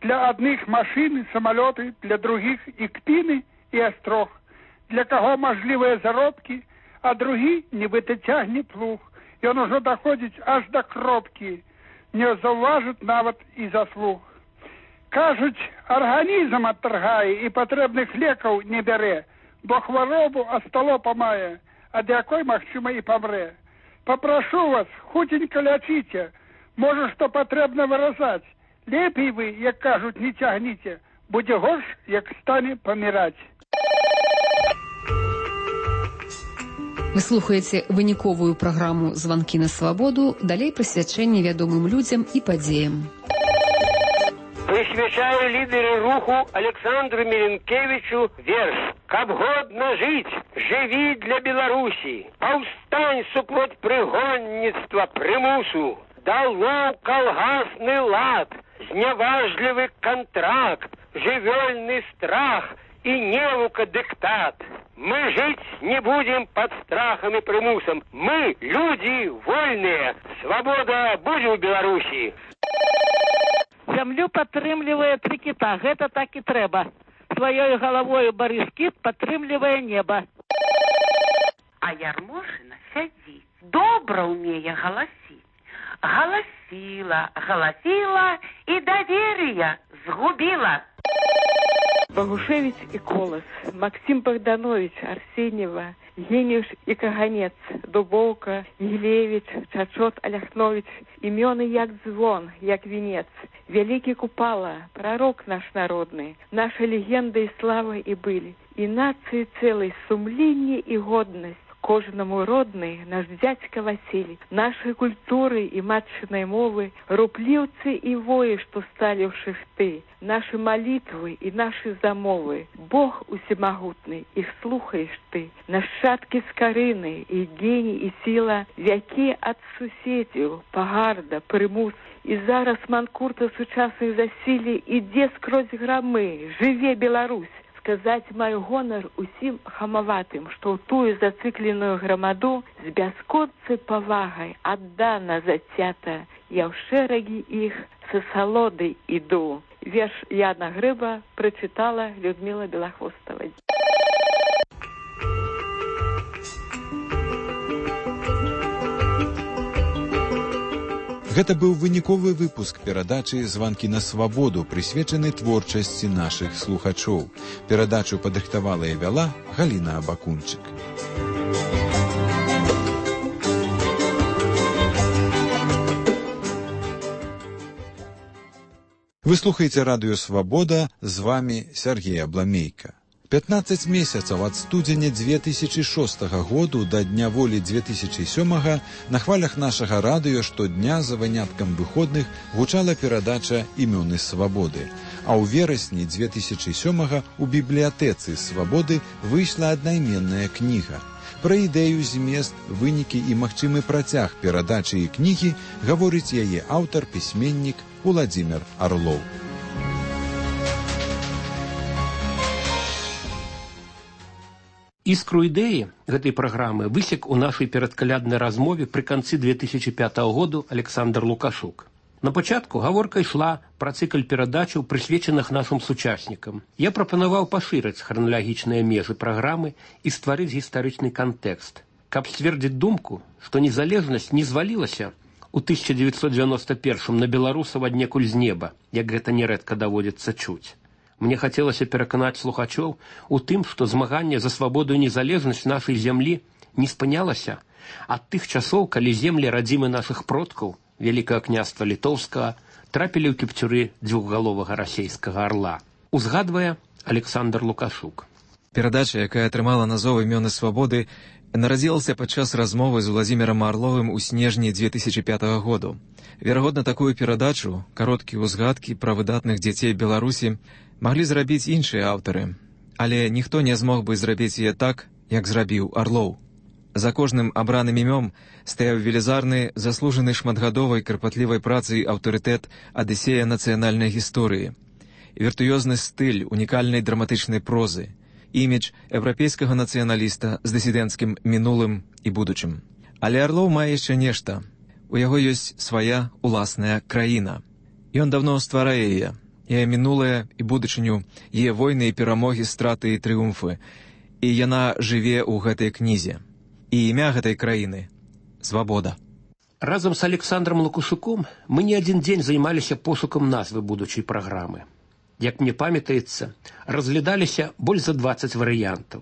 Для адных машыны, самалёты, для другіх і кпіны, і астрог. Для каго мажлівыя заробкі, а другі нібыта цягне плуг. Ён ужо даходзіць аж да кропкі, не заўважыць нават і заслуг. Кажуць, арганізм адтаргае і патрэбных лекаў не бярэ, бо хваробу асталопа мае, ад якой, магчыма, і памрэ. Папрашу вас, хутенька лячыце, можа, што патрэбна выразаць. Лепей вы, як кажуць, не цягніце, будзе горш, як стане паміраць. Вы слухаеце выніковую праграму «Званкі на свабоду», далей прысвячэнне вядомым людзям і падзеям. Прысвячаю лідеру руху Александру Міленкевічу верш. Каб годна жыць, жыві для Беларусі. Паўстань супроць прыгонніцтва прымусу. Дало калгасны лад, зняважлівы кантракт, жывёльны страх и невука диктат. Мы жить не будем под страхом и примусом. Мы люди вольные. Свобода будет в Беларуси. Зямлю падтрымлівае тры кіта. Гэта так і трэба. Сваёй галавою Барыс кіт падтрымлівае неба. А Ярмошына сядзіць. Добра ўмее галасіць. Галасіла, галасіла і давер'я згубіла. Богушевич и Колос, Максим Богданович, Арсеньева, Гениуш и Каганец, Дубовка, Елевич, Чачот, Оляхнович, имены як звон, як венец, великий Купала, пророк наш народный, наша легенда и слава и были, и нации целой сумление и годность. Кожному родный наш дядька Василий, нашей культуры и матчиной мовы, руплівцы и вои, что стали в шифты, наши молитвы и наши замовы. Бог усемогутный, их слухаешь ты, нащадки скорины, и гений, и сила, вяки от суседів, Пагарда, Примус, и зараз манкурта сучасных засилий, иде скрозь громы, живе Беларусь. Сказать маю гонор усім хамаватым, што ў тую зацыкленую грамаду з бясконцай павагай аддана зацята. Я ў шэрагі іх са салодай іду. Верш Яна Грыба прачытала Людмила Белахвостова. Гэта быў выніковы выпуск перадачы «Званкі на свабоду», прысвечаны творчасці нашых слухачоў. Перадачу падрыхтавала і вяла Галіна Абакунчык. Вы слухаеце радыё «Свабода», з вамі Сергей Абламейка. 15 месяцаў ад студзеня 2006 году да Дня волі 2007 на хвалях нашага радыё штодня за выняткам выходных гучала перадача «Імёны свабоды». А ў верасні 2007 у бібліятэцы «Свабоды» выйшла аднайменная кніга. Пра ідэю, змест, вынікі і магчымы працяг перадачы і кнігі гаворыць яе аўтар, пісьменнік Уладзімір Арлоў. Іскру ідэі гэтай праграмы высек у нашай перадкаляднай размове пры канцы 2005 году Александр Лукашук. На пачатку гаворка ішла пра цыкль перадачаў, прысвечаных нашым сучаснікам. Я прапанаваў пашырыць храналагічныя межы праграмы і стварыць гістарычны кантэкст, каб сцвердзіць думку, што незалежнасць не звалілася у 1991 на беларусаў аднекуль з неба, як гэта нярэдка даводзіцца чуць. Мне хацелася пераканаць слухачоў у тым, што змаганне за свабоду і незалежнасць нашай зямлі не спынялася ад тых часоў, калі землі радзімы нашых продкаў, Вялікага княства Літоўскага, трапілі ў кіпцюры дзвюхгаловага расейскага арла. Узгадвае Александр Лукашук. Перадача, якая атрымала назву «Імёны свабоды», нарадзілася падчас размовы з Уладзімірам Арловым у снежні 2005 году. Верагодна, такую перадачу, кароткія ўзгадкі пра выдатных дзяцей Беларусі, маглі зрабіць іншыя аўтары, але ніхто не змог бы зрабіць яе так, як зрабіў Арлоў. За кожным абраным імём стаяў велізарны, заслужаны шматгадовай карпатлівай працай аўтарытэт адысея нацыянальнай гісторыі, віртуёзны стыль унікальнай драматычнай прозы, імідж еўрапейскага нацыяналіста з дысідэнцкім мінулым і будучым. Але Арлоў мае яшчэ нешта. У яго ёсць свая уласная краіна. Ён даўно стварае яе. Яе мінулае і будучыню, яе войны і перамогі, страты і трыумфы. І яна жыве ў гэтай кнізе. І імя гэтай краіны – свабода. Разам з Александром Лукашуком мы не адзін дзень займаліся пошукам назвы будучай праграмы. Як мне памятаецца, разглядаліся больш за 20 варыянтаў.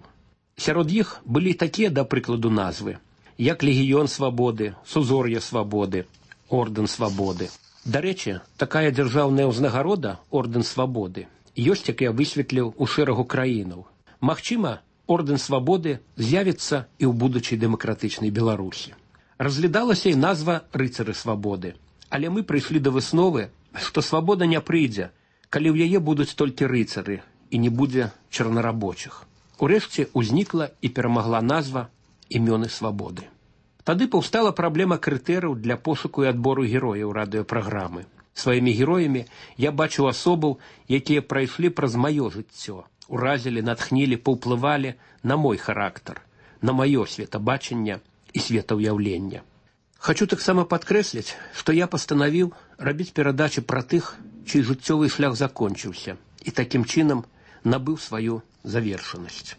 Сярод іх былі такія, да прыкладу, назвы, як «Легіён свабоды», «Сузор'е свабоды», «Ордэн свабоды». Дарэчы, такая дзяржаўная ўзнагарода «Ордэн свабоды» ёсць, як я высветліў, у шэрагу краінаў. Магчыма, Ордэн свабоды з'явіцца і ў будучай дэмакратычнай Беларусі. Разглядалася і назва «Рыцары свабоды», але мы прыйшлі да высновы, што свабода не прыйдзе, калі ў яе будуць толькі рыцары і не будзе чарнарабочых. Урэшце ўзнікла і перамагла назва «Імёны свабоды». Тады паўстала праблема крытэрыяў для пошуку і адбору герояў радыёпраграмы. Сваімі героямі я бачу асобаў, якія прайшлі праз маё жыццё, уразілі, натхнілі, паўплывалі на мой характар, на маё светабачанне і светаўяўленне. Хачу таксама падкрэсліць, што я пастанавіў рабіць перадачы пра тых, чый жыццёвы шлях закончыўся і такім чынам набыў сваю завершанасць.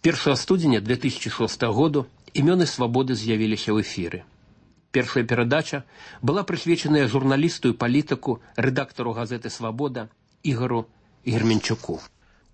1 студзеня 2006 году імёны свабоды з'явіліся ў эфіры. Першая перадача была прысвечаная журналісту і палітыку, рэдактару газеты «Свабода» Ігару Герменчуку.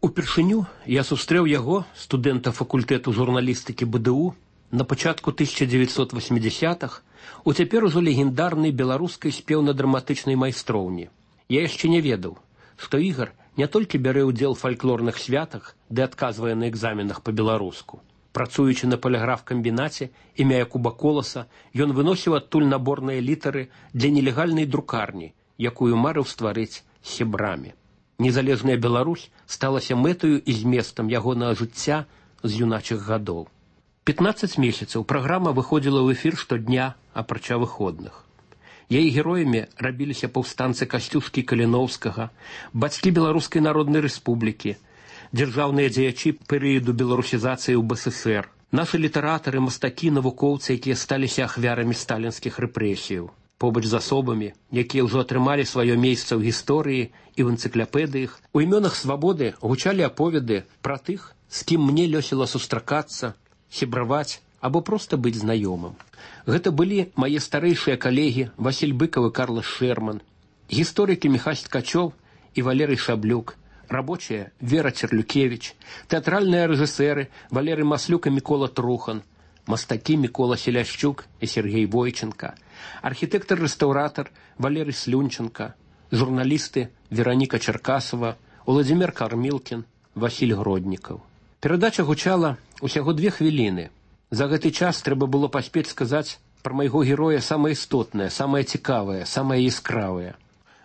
Упершыню я сустрэў яго, студэнта факультэту журналістыкі БДУ, на пачатку 1980-х у цяпер ужо легендарнай беларускай спеўна-драматычнай майстроўні. Я яшчэ не ведаў, што Ігар не толькі бярэ ўдзел у фальклорных святах, ды адказвае на экзаменах па-беларуску. Працуючы на паліграф-камбінаце імя Якуба Коласа, ён выносіў адтуль наборныя літары для нелегальнай друкарні, якую марыў стварыць з сябрамі. Незалежная Беларусь сталася мэтаю і зместам ягонага жыцця з юначых гадоў. 15 месяцаў праграма выходзіла ў эфір штодня, апрача выходных. Яе героямі рабіліся паўстанцы Касцюшкі Каліноўскага, бацькі Беларускай Народнай Рэспублікі, дзяржаўныя дзеячы перыяду беларусізацыі ў БССР, нашы літаратары, мастакі, навукоўцы, якія сталіся ахвярамі сталінскіх рэпрэсіяў. Побач з асобамі, якія ўжо атрымалі сваё месца ў гісторыі і ў энцыклапедыях, у імёнах свабоды гучалі аповеды пра тых, з кім мне лёсіла сустракацца, сябраваць або проста быць знаёмым. Гэта былі мае старэйшыя калегі Васіль Быкаў і Карлас Шэрман, гісторыкі Міхась Ткачоў і Валерый Шаблюк, рабочыя Вера Церлюкевіч, тэатральныя рэжысэры Валерый Маслюк і Мікола Трухан, мастакі Мікола Селяшчук і Сергей Войченка, архітэктар-рэстаўратар Валерый Слюнченка, журналісты Вераніка Чаркасова, Уладзімир Кармілкін, Васіль Гроднікаў. Перадача гучала усяго 2 хвіліны. За гэты час трэба было паспець сказаць пра майго героя самае істотнае, самае цікавае, самае яскравае.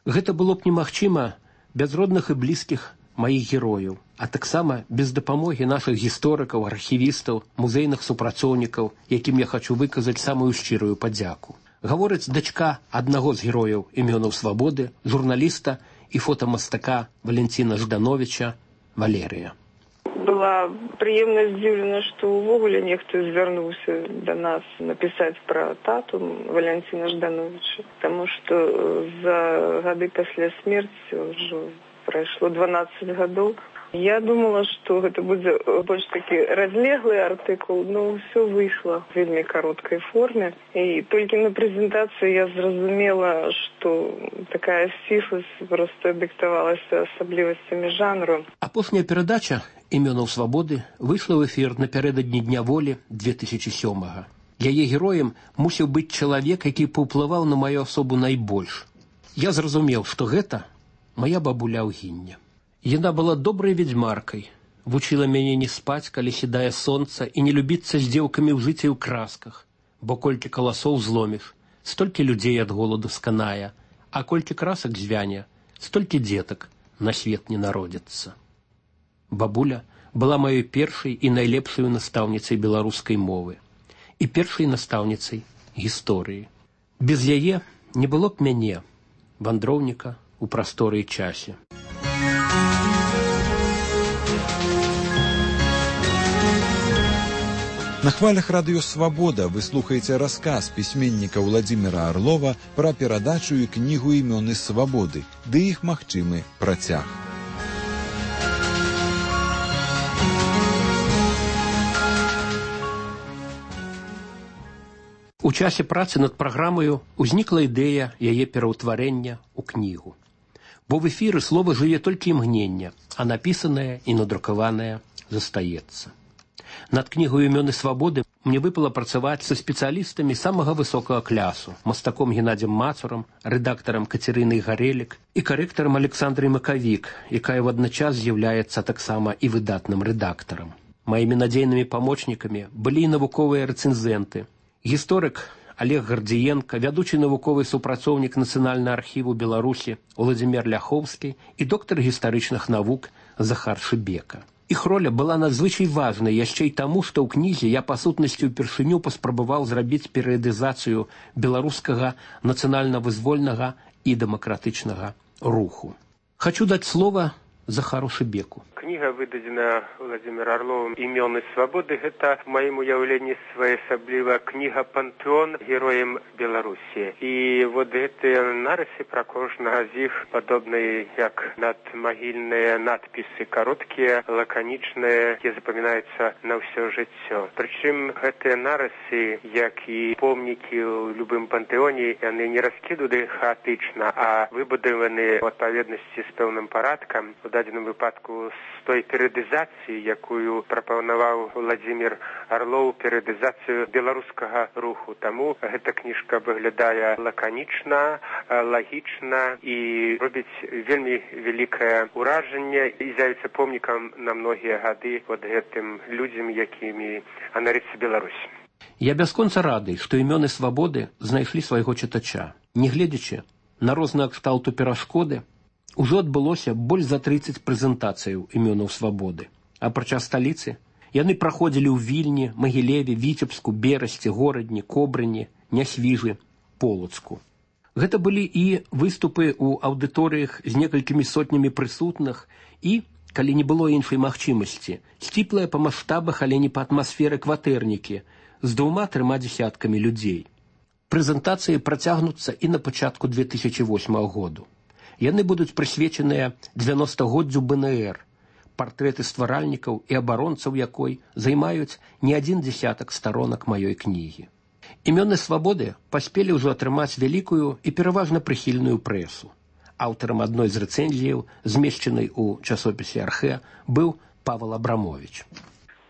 Гэта было б немагчыма без родных і блізкіх маіх герояў, а таксама без дапамогі нашых гісторыкаў, архівістаў, музейных супрацоўнікаў, якім я хачу выказаць самую шчырую падзяку. Гаворыць дачка аднаго з герояў імёнаў свабоды, журналіста і фотамастака Валентина Ждановича Валерыя. Была прыемна здзіўлена, што ўвогуле нехта звярнуўся да нас напісаць пра тату Валентина Ждановича, таму што за гады пасля смерці ўжо прайшло 12 гадоў. Я думала, што гэта будзе больш такі разлеглы артыкул, но ўсё выйшла в вельмі кароткай форме. І толькі на прэзентацыі я зразумела, што такая сцісласць проста дыктавалася асаблівасцямі жанру. Апошняя перадача імёнаў свабоды выйшла ў эфір напярэдадні Дня волі 2007-га. Яе героем мусіў быць чалавек, які паўплываў на маю асобу найбольш. Я зразумеў, што гэта мая бабуля Аўгіння. Яна была добрай ведзьмаркай, вучыла мяне не спаць, калі сідае сонца, і не любіцца з дзеўкамі ў жыце ў красках, бо колькі каласоў зломіш, столькі людзей ад голаду сканае, а колькі красак звяне, столькі дзетак на свет не народзіцца. Бабуля была маёй першай і найлепшай настаўніцай беларускай мовы і першай настаўніцай гісторыі. Без яе не было б мяне, вандроўніка у прасторы і часе. На хвалях радыё «Свабода» вы слухаеце расказ пісьменніка Владзіміра Арлова пра перадачу і кнігу «Імёны свабоды», ды іх магчымы працяг. У часе працы над праграмаю узнікла ідэя яе пераўтварэння ў кнігу. Бо в эфіры слова жыве толькі імгнення, а напісанае і надрукаванае застаецца. Над кнігою «Імёны свабоды» мне выпала працаваць са спецыялістамі самага высокага клясу, мастаком Геннадзем Мацурам, рэдактарам Кацярынай Гарэлік і карэктарам Александрай Макавік, якая водночас з'яўляецца таксама і выдатным рэдактарам. Маімі надзейнымі памочнікамі былі і навуковыя рэцэнзенты. Гісторык Олег Гардзіенка, вядучы навуковы супрацоўнік Нацыянальнага архіву Беларусі Уладзімір Ляхоўскі і доктар гістарычных навук Захар Шыбека. Іх роля была надзвычай важнай яшчэ і таму, што ў кнізе я па сутнасці ўпершыню паспрабаваў зрабіць перыядызацыю беларускага нацыянальна-вызвольнага і дэмакратычнага руху. Хачу даць слова Захару Шыбеку. Кніга выдадзена Владимиром Орловым «Імёны свабоды». Гэта, в маім уяўленні, своеасабліва кніга пантэон героям Беларусі. І вот гэтыя нарысы пра кожнага з іх падобныя як надмагільныя надпісы, кароткія, лаканічныя, якія запамінаюцца на ўсё жыццё. Прычым гэтыя нарысы, як і помнікі ў любым пантэоне, яны не раскіданы хаатычна, а выбудаваны ў адпаведнасці з пэўным парадкам, у дадзеным выпадку з той перыядызацыі, якую прапанаваў Владимир Орлов, перыядызацыю беларускага руху. Таму гэта кніжка выглядае лаканічна, лагічна і робіць вельмі вялікае ўражанне і з'явіцца помнікам на многія гады вот гэтым людзям, якімі ганарыцца Беларусь. Я бясконца рады, што імёны свабоды знайшлі свайго чытача. Не гледзячы на розныя кшталту перашкоды, ужо адбылося больш за 30 прэзентацыяў імёнаў свабоды. Апрача сталіцы, яны праходзілі ў Вільні, Магілеве, Віцебску, Берасці, Горадні, Кобрыні, Нясвіжы, Полацку. Гэта былі і выступы ў аўдыторыях з некалькімі сотнямі прысутных і, калі не было іншай магчымасці, сціплыя па маштабах, але не па атмасферы кватэрнікі з 2-3 дзесяткамі людзей. Прэзентацыі працягнуцца і на пачатку 2008 году. Яны будуць прысвечаныя 90-годдзю БНР, партрэты стваральнікаў і абаронцаў якой займаюць не адзін дзесятак старонак маёй кнігі. Імёны свабоды паспелі ўжо атрымаць вялікую і пераважна прыхільную прэсу. Аўтарам адной з рэцэнзіяў, змешчанай у часопісе «Архэ», быў Павел Абрамович.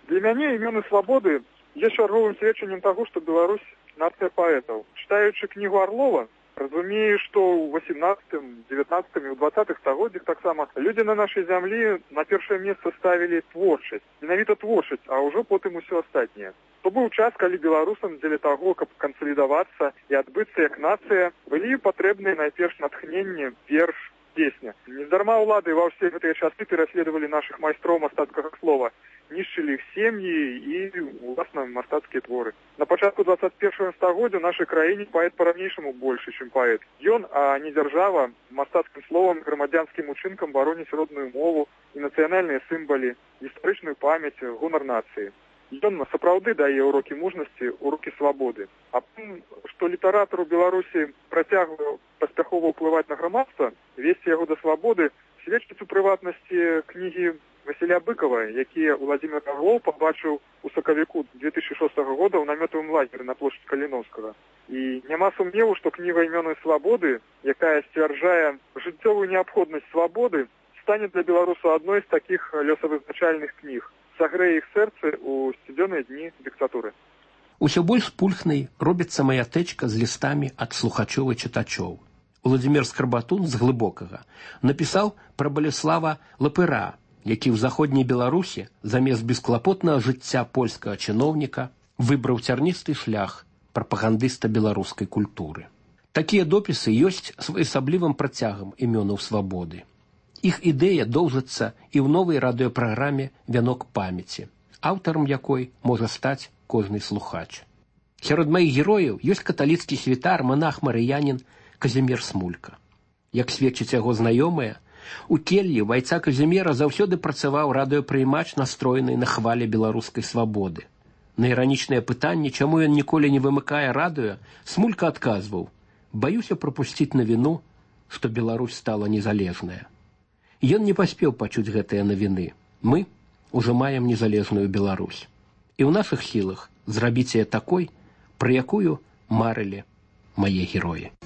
Для мяне імёны свабоды є чарговым сведчаннем таго, што Беларусь нацыя паэтаў. Чытаючы кнігу Орлова, разумею, што ў 18, 19 і ў 20-х стагоддзях таксама людзі на нашай зямлі на першае месца ставілі творчасць. Менавіта творчасць, а ўжо потым усё астатняе. То быў час, калі беларусам дзеля таго, каб кансалідавацца і адбыцца як нацыя, былі патрэбныя найперш натхненне, верш, песня. Нездарма ўлады ва ўсе гэтыя часы пераследавалі нашых майстроў мастацкага слова, нішчылі іх сем'і і, уласна, мастацкія творы. На пачатку 21 стагоддзя ў нашай краіне паэт па-ранейшаму большы, чым паэт. Ён, а не дзяржава, мастацкім словам, грамадзянскім учынкам бароніць родную мову і нацыянальныя сімвалы, гістарычную памяць, гонар нацыі. Ён сапраўды дае урокі мужнасці, урокі свабоды. А тым, што літаратар у Беларусі працягвае паспяхова ўплываць на грамадства, весці яго да свабоды, сведчыць у прыватнасці кнігі Васіля Быкова, які Владимир Орлов пабачыў у сакавіку 2006 года ў намётавым лагеры на плошчы Каліновскага. І няма сумневу, што кніга «Імёны свабоды», якая сцвярджае жыццёвую неабходнасць свабоды, стане для беларусаў адной з такіх лёсавызначальных кніг. Сагрэе іх сэрцы ў сцюдзёныя дні дыктатуры. Усё больш пульхнай робіцца мая тэчка з лістамі ад слухачоў і чытачоў. Уладзімір Скарбатун з Глыбокага напісаў пра Балеслава Лапыра, які ў заходняй Беларусі замест бесклапотнага жыцця польскага чыноўніка выбраў цярністы шлях прапагандыста беларускай культуры. Такія допісы ёсць своеасаблівым працягам імёнаў свабоды. Іх ідэя доўжыцца і ў новай радыёпраграме «Вянок памяці», аўтарам якой можа стаць кожны слухач. Сярод маіх герояў ёсць каталіцкі святар, манах-марыянін Казімір Смулька. Як сведчыць яго знаёмыя, у келлі вайца Казіміра заўсёды працаваў радыёпрыймач, настроены на хвале беларускай свабоды. На іранічнае пытанне, чаму ён ніколі не вымыкае радыё, Смулька адказваў: «Баюся прапусціць навіну, што Беларусь стала незалежная». Ён не паспеў пачуць гэтыя навіны. Мы ўжо маем незалежную Беларусь. І ў нашых сілах зрабіць яе такой, пра якую марылі мае героі.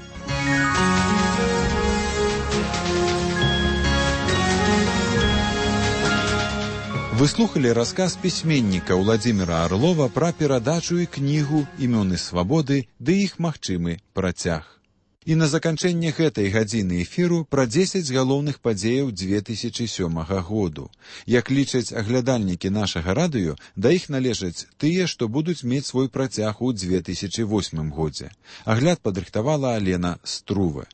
Вы слухали расказ пісьменніка Владимира Орлова пра перадачу і кнігу «Імёны свабоды» ды іх магчымы працяг. І на заканчэнне гэтай гадзіны эфіру пра 10 галоўных падзеяў 2007 году. Як лічаць аглядальнікі нашага радыё, да іх належаць тыя, што будуць мець свой працяг у 2008 годзе. Агляд падрыхтавала Алена Струве.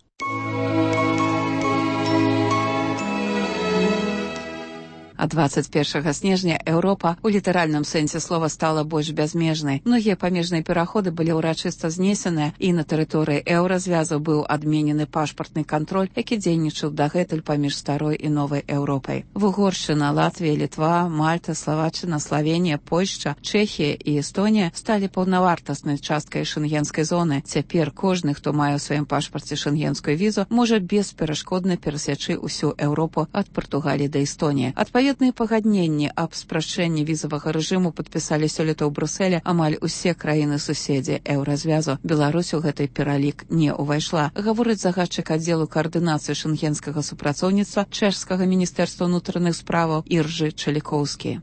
А 21 снежня Еўропа у літаральным сэнсе слова стала больш бязмежнай. Многія памежныя пераходы былі ўрачыста знесеныя, і на тэрыторыі еўразвязу быў адменены пашпартны кантроль, які дзейнічаў дагэтуль паміж старой і новай Еўропай. Угоршчына, Латвія, Літва, Мальта, Славаччына, Славенія, Польшча, Чэхія і Эстонія сталі паўнавартаснай часткай шэнгенскай зоны. Цяпер кожны, хто мае ў сваім пашпарце шэнгенскую візу, можа бесперашкодна перасячы ўсю Еўропу ад Партугаліі да Эстоніі. Адпаведныя пагадненні аб спрашчэнні візавага рэжыму падпісалі сёлета ў Брусэле амаль усе краіны-суседзі еўразвязу. Беларусь у гэты пералік не ўвайшла, гаворыць загадчык аддзелу каардынацыі шэнгенскага супрацоўніцтва чэшскага міністэрства ўнутраных справаў Іржы Чалікоўскі.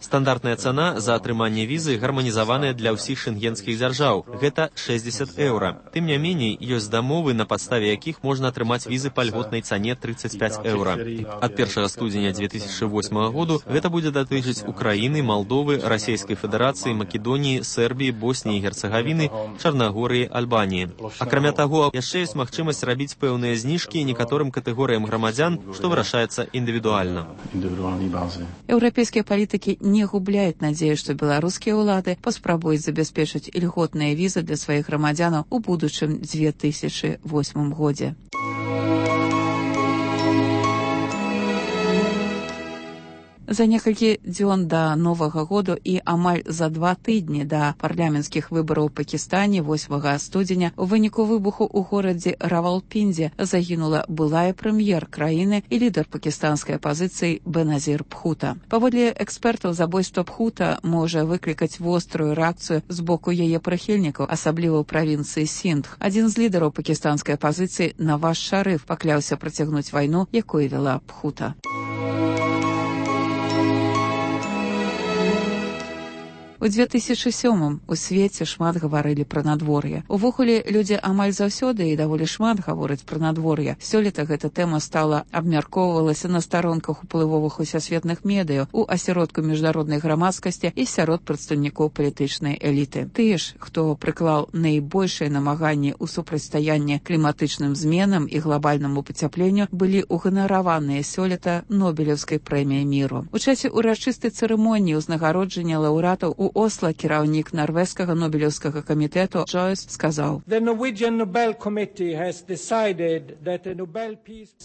Стандартная цана за атрыманне візы гарманізаваная для ўсіх шэнгенскіх дзяржаў. Гэта 60 еўра. Тым не меней, ёсць дамовы, на падставе якіх можна атрымаць візы па льготнай цане 35 еўра. Ад 1 студзеня 2008 году гэта будзе датычыць Украіны, Малдовы, Расійскай Федэрацыі, Македоніі, Сербіі, Босніі і Герцагавіны, Чарнагорыі, Альбаніі. Акрамя таго, яшчэ ёсць магчымасць рабіць пэўныя зніжкі некаторым катэгорыям грамадзян, што вырашаецца індывідуальна. Еўрапейскія палітыкі не губляюць надзею, што беларускія ўлады паспрабуюць забяспечыць ільготныя візы для сваіх грамадзянаў у будучым 2008 годзе. За некалькі дзён да Новага году і амаль за 2 тыдні да парламенцкіх выбараў у Пакістане 8 студзеня у выніку выбуху ў горадзе Равалпіндзе загінула былая прэм'ер краіны і лідар пакістанскай апазіцыі Беназір Бхута. Паводле экспертаў, забойства Бхута можа выклікаць вострую рэакцыю з боку яе прыхільнікаў, асабліва ў правінцыі Синдх. Адзін з лідараў пакістанскай апазіцыі, Наваз Шарыф, пакляўся працягнуць вайну, якую вяла Бхута. У 2007 у свеце шмат гаварылі пра надвор'е. Увогуле, людзі амаль заўсёды і даволі шмат гавораць пра надвор'е. Сёлета гэта тэма стала абмяркоўвалася на старонках уплывовых усесветных медыяў, у асяродку міжнароднай грамадскасці і сярод прадстаўнікоў палітычнай эліты. Тыя ж, хто прыклаў найбольшыя намаганні ў супрацьстаянні кліматычным зменам і глобальнаму пацяпленню, былі ўганараваныя сёлета Нобелеўскай прэміяй міру. У часе ўрачыстай цырымоніі ўзнагароджання лаўрэатаў у Осла кіраўнік нарвежскага Нобелеўскага камітэту Джойс сказаў: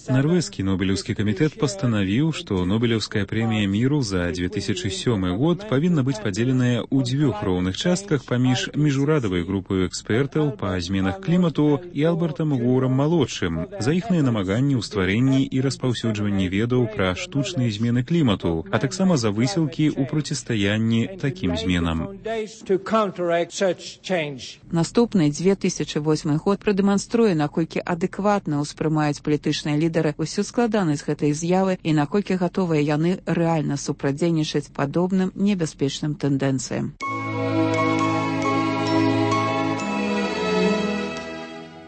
Нарвежскі Нобелеўскі камітэт пастанавіў, што Нобелеўская прэмія міру за 2007 год павінна быць падзеленая ў 2 роўных частках паміж міжурадавай групай экспертаў па зменах клімату і Альбертам Горам-малодшым за іхныя намаганні ў стварэнні і распаўсюджванні ведаў пра штучныя змены клімату, а таксама за высілкі ў процістаянні такім зменам. Наступны 2008 год прадэманструе, наколькі адэкватна ўспрымаюць палітычныя лідары ўсю складанасць гэтай з'явы і наколькі гатовыя яны рэальна супрацьдзейнічаць падобным небяспечным тэндэнцыям.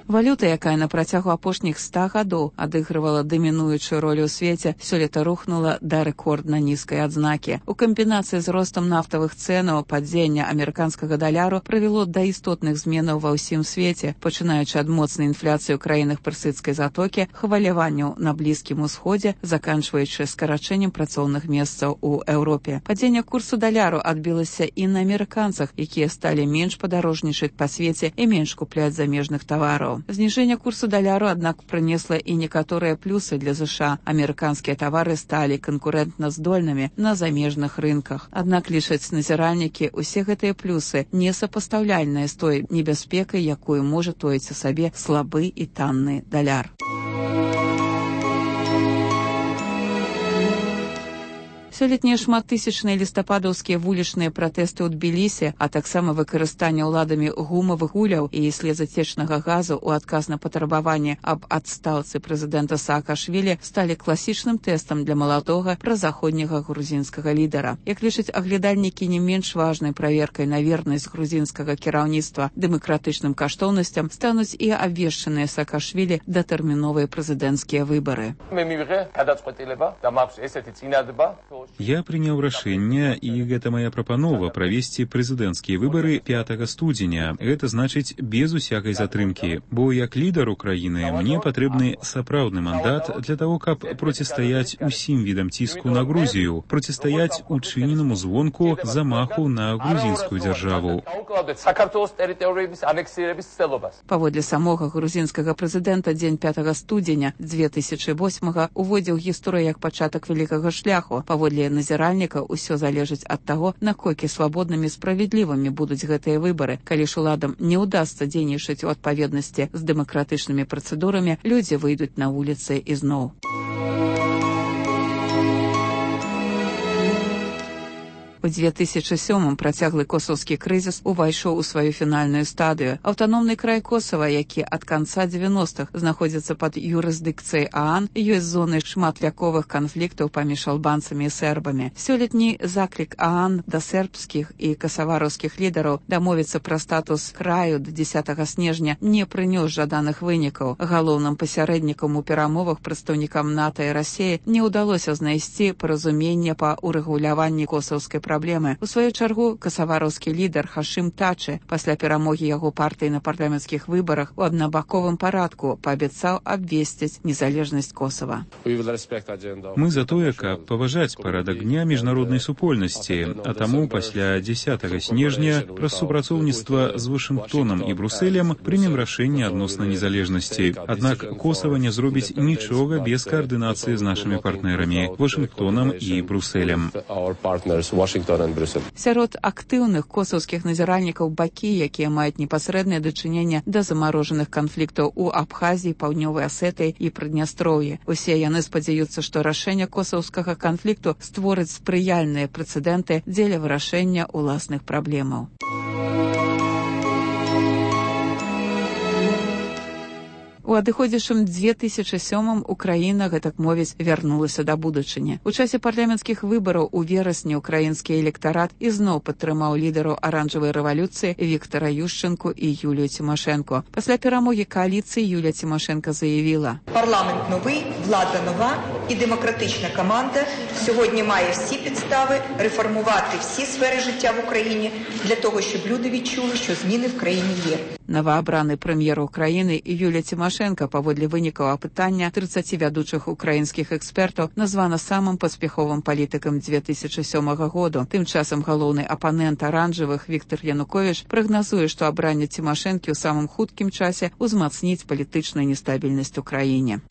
Валюта, якая на працягу апошніх 100 гадоў адыгрывала дамінуючую ролю ў свеце, сёлета рухнула да рэкордна нізкай адзнакі. У камбінацыі з ростам нафтавых цэнаў падзення амерыканскага даляру прывяло да істотных зменаў ва ўсім свеце, пачынаючы ад моцнай інфляцыі ў краінах персідскай затокі, хваляванняў на Блізкім усходзе, заканчваючы скарачэннем працоўных месцаў у Еўропе. Падзенне курсу даляру адбілася і на амерыканцах, якія сталі менш падарожнічаць па свеце і менш купляць замежных тавараў. Зніжэнне курсу даляру, аднак, прынесла і некаторыя плюсы для ЗША. Амерыканскія тавары сталі канкурэнтна здольнымі на замежных рынках. Аднак, лічаць назіральнікі, усе гэтыя плюсы несапастаўляльныя з той небяспекай, якую можа тоіць у сабе слабы і танны даляр. Сёлетнія шматтысячныя лістападаўскія вулічныя пратэсты ў Тбілісі, а таксама выкарыстанне ўладамі гумавых гуляў і слезацечнага газу ў адказ на патрабаванне аб адстаўцы прэзідэнта Саакашвілі сталі класічным тэстам для маладога празаходняга грузінскага лідара. Як лічаць аглядальнікі, не менш важнай праверкай на вернасць грузінскага кіраўніцтва дэмакратычным каштоўнасцям стануць і абвешчаныя Саакашвілі датэрміновыя прэзідэнцкія выбары. Я прыняў рашэнне, і гэта моя прапанова правесці прэзідэнцкія выбары 5 студзеня. Гэта значыць без усякай затрымкі, бо як лідар Украіны мне патрэбны сапраўдны мандат для того, каб процістаяць усім відам ціску на Грузію, процістаяць учыненаму звонку замаху на грузінскую дзяржаву. Паводле самога грузінскага прэзідэнта дзень 5 студзеня 2008 уводзіў гісторыю як пачатак вялікага шляху. Паводле назіральніка ўсё залежыць ад таго, наколькі свабоднымі справядлівымі будуць гэтыя выбары. Калі ж уладам не ўдасца дзейнічаць у адпаведнасці з дэмакратычнымі працэдурамі, людзі выйдуць на вуліцы ізноў. У 2007 працяглы косаўскі крызіс увайшоў у сваю фінальную стадыю. Аўтаномны край Косава, які ад канца 90-х знаходзіцца пад юрысдыкцыяй ААН, ёсць зонай шматвяковых канфліктаў паміж албанцамі і сербамі. Сёлетні заклік ААН да сербскіх і касавараўскіх лідараў дамовіцца пра статус краю да 10 снежня не прынёс жаданых вынікаў. Галоўным пасярэднікам у перамовах прадстаўнікам НАТО і Расіі не ўдалося знайсці паразуменне па урэгуляванні косаўскай праблемы. У сваю чаргу касавараўскі лідар Хашым Тачы пасля перамогі яго партыі на парламенцкіх выбарах у аднабаковым парадку паабяцаў абвесціць незалежнасць Косава. Мы за тое, каб паважаць парадак дня міжнароднай супольнасці, а таму пасля 10 снежня праз супрацоўніцтва з Вашынгтонам і Брусэлем прымем рашэнне адносна незалежнасці. Аднак Косава не зробіць нічога без каардынацыі з нашымі партнерамі Вашынгтонам і Брусэлем. Сярод актыўных косаўскіх назіральнікаў бакі, якія маюць непасрэднае дачыненне да замарожаных канфліктаў у Абхазіі, Паўднёвай Асетыі і Прыднястроўі. Усе яны спадзяюцца, што рашэнне косаўскага канфлікту створыць спрыяльныя прэцэдэнты дзеля вырашэння ўласных праблемаў. У адыходзячым 2007 Украіна, гэтак мовіць, вярнулася да будучыні. У часе парламенцкіх выбараў у верасні украінскі электарат ізноў падтрымаў лідараў аранжавай рэвалюцыі Віктара Ющэнку і Юлію Тимошенко. Пасля перамогі коаліцыі Юлія Тимошенко заявіла: «Парламент новий, влада нова і демократична команда сьогодні має всі підстави реформувати всі сфери життя в Україні для того, щоб люди відчули, що зміни в країні є». Новоабраны прэм'ер Украіны Юлія Тимошенко паводле вынікаў апытання 30 вядучых украінскіх экспертаў названа самым паспяховым палітыкам 2007 году. Тым часам галоўны апанент аранжавых Віктор Януковіч прагназуе, што абранне Тимошенкі ў самым хуткім часе ўзмацніць палітычную нестабільнасць у краіне.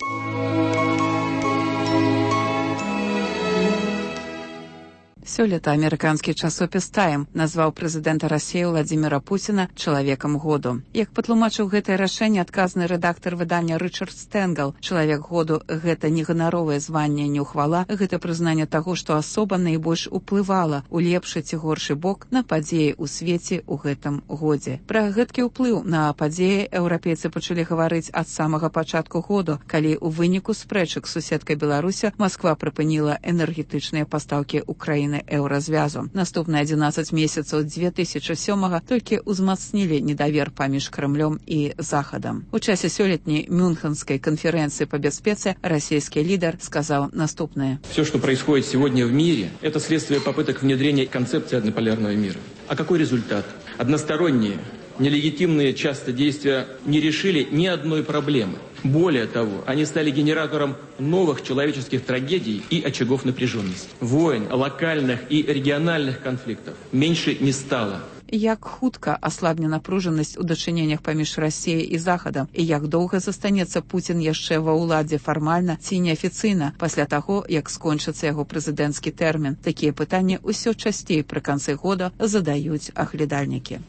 Сёлета амерыканскі часопіс «Тайм» назваў прэзідэнта Расіі Владзіміра Пуціна чалавекам году. Як патлумачыў гэтае рашэнне адказны рэдактар выдання Рычард Стэнгал, чалавек году – гэта не ганаровае званне, не ўхвала, гэта прызнанне таго, што асоба найбольш уплывала ў лепшы ці горшы бок на падзеі ў свеце ў гэтым годзе. Пра гэткі ўплыў на падзеі еўрапейцы пачалі гаварыць ад самага пачатку году, калі ў выніку спрэчак з суседкай Беларусю Масква прыпыніла энергетычныя пастаўкі Украіны еўразвязу. Наступныя 11 месяцаў 2007-го толькі ўзмацнілі недавер паміж Крэмлём і Захадам. У часе сёлетняй Мюнхенскай конференции по бяспецы российский лидер сказал наступное. Все, что происходит сегодня в мире, это следствие попыток внедрения концепции однополярного мира. А какой результат? Односторонние, нелегитимные часто действия не решили ни одной проблемы. Более того, они стали генератором новых человеческих трагедий и очагов напряженности. Войн, локальных и региональных конфликтов меньше не стало. Як хутка аслабне напружанасць у дачыненнях паміж Расіяй і Захадам і як доўга застанецца Пуцін яшчэ ва ўладзе фармальна ці неафіцыйна пасля таго, як скончыцца яго прэзідэнцкі тэрмін. Такія пытанні ўсё часцей пры канцы года задаюць аглядальнікі.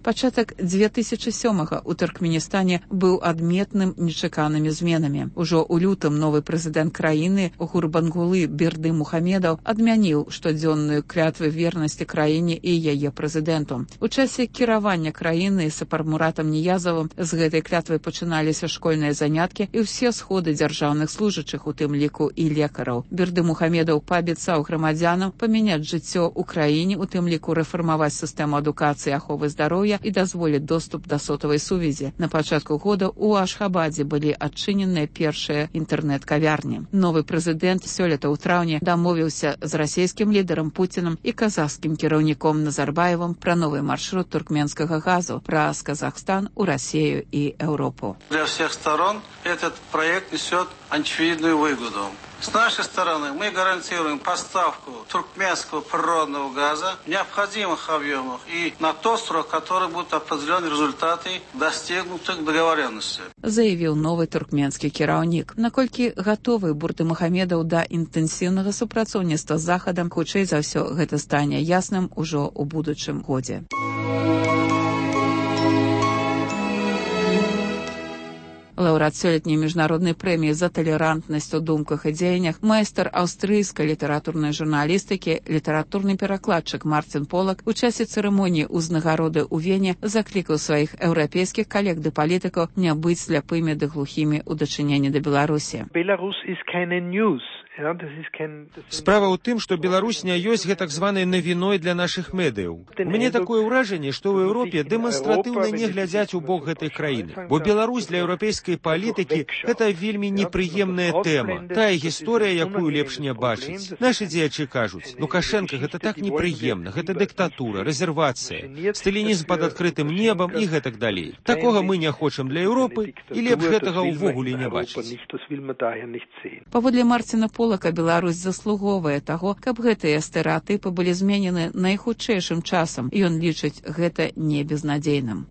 Пачатак 2007-го у Туркменістане быў адметным нечаканымі зменамі. Ужо ў лютым новы прэзідэнт краіны Гурбангулы Бердымухамедаў адмяніў штодзённую клятву вернасці краіне і яе прэзідэнту. У часе кіравання краіны Сапармуратам Ніязавым з гэтай клятвы пачыналіся школьныя заняткі і ўсе сходы дзяржаўных служачых, у тым ліку і лекараў. Бердымухамедаў паабяцаў грамадзянам памяняць жыццё ў краіне, у тым ліку рэфармаваць сістэму адукацыі і аховы здароўя, яе і дазволіць доступ да сотавай сувязі. На пачатку года ў Ашхабадзе былі адчыненыя першыя інтэрнэт-кавярні. Новы прэзідэнт сёлета ў траўні дамовіўся з расійскім лідарам Пуцінам і казахскім кіраўніком Назарбаевым пра новы маршрут туркменскага газу праз Казахстан у Россию и Европу. Для всех сторон этот проект несет очевидную выгоду. С нашей стороны мы гарантируем поставку туркменского природного газа в необходимых объемах и на тот срок, который будут определены результаты достигнутых договоренностей. Заявил новый туркменский кіраўнік. Наколькі готовы Бурдымухамедаў да інтэнсіўнага супрацоўніцтва з Захадам, хутчэй за ўсё гэта стане ясным ужо ў будучым годзе. Лаўрэат сёлетняй міжнароднай прэміі за талерантнасць у думках і дзеяннях, майстар аўстрыйскай літаратурнай журналістыкі, літаратурны перакладчык Марцін Полак у часе цырымоніі ўзнагароды ў Вене заклікаў сваіх еўрапейскіх калег ды палітыкаў не быць сляпымі ды глухімі ў дачыненні да Беларусі. Справа ў тым, што Беларусь не ёсць гэтак званай навіной для нашых медыяў. У мяне такое ўражанне, што ў Еўропе дэманстратыўна не глядзяць у бок гэтай краіны. Бо Беларусь для еўрапейскай палітыкі – гэта вельмі непрыемная тэма. Тая гісторыя, якую лепш не бачыць. Нашы дзеячы кажуць, Лукашенка гэта так непрыемна, гэта дыктатура, рэзервацыя, сталінізм пад адкрытым небам і гэтак далей. Такога мы не хочам для Еўропы і лепш гэтага ўвогуле не бачыць. Паводле Марціна Полака, Беларусь заслуговае таго, каб гэтыя стэрэатыпы былі зменены найхутчэйшым часам, і ён лічыць гэта не безнадзейным.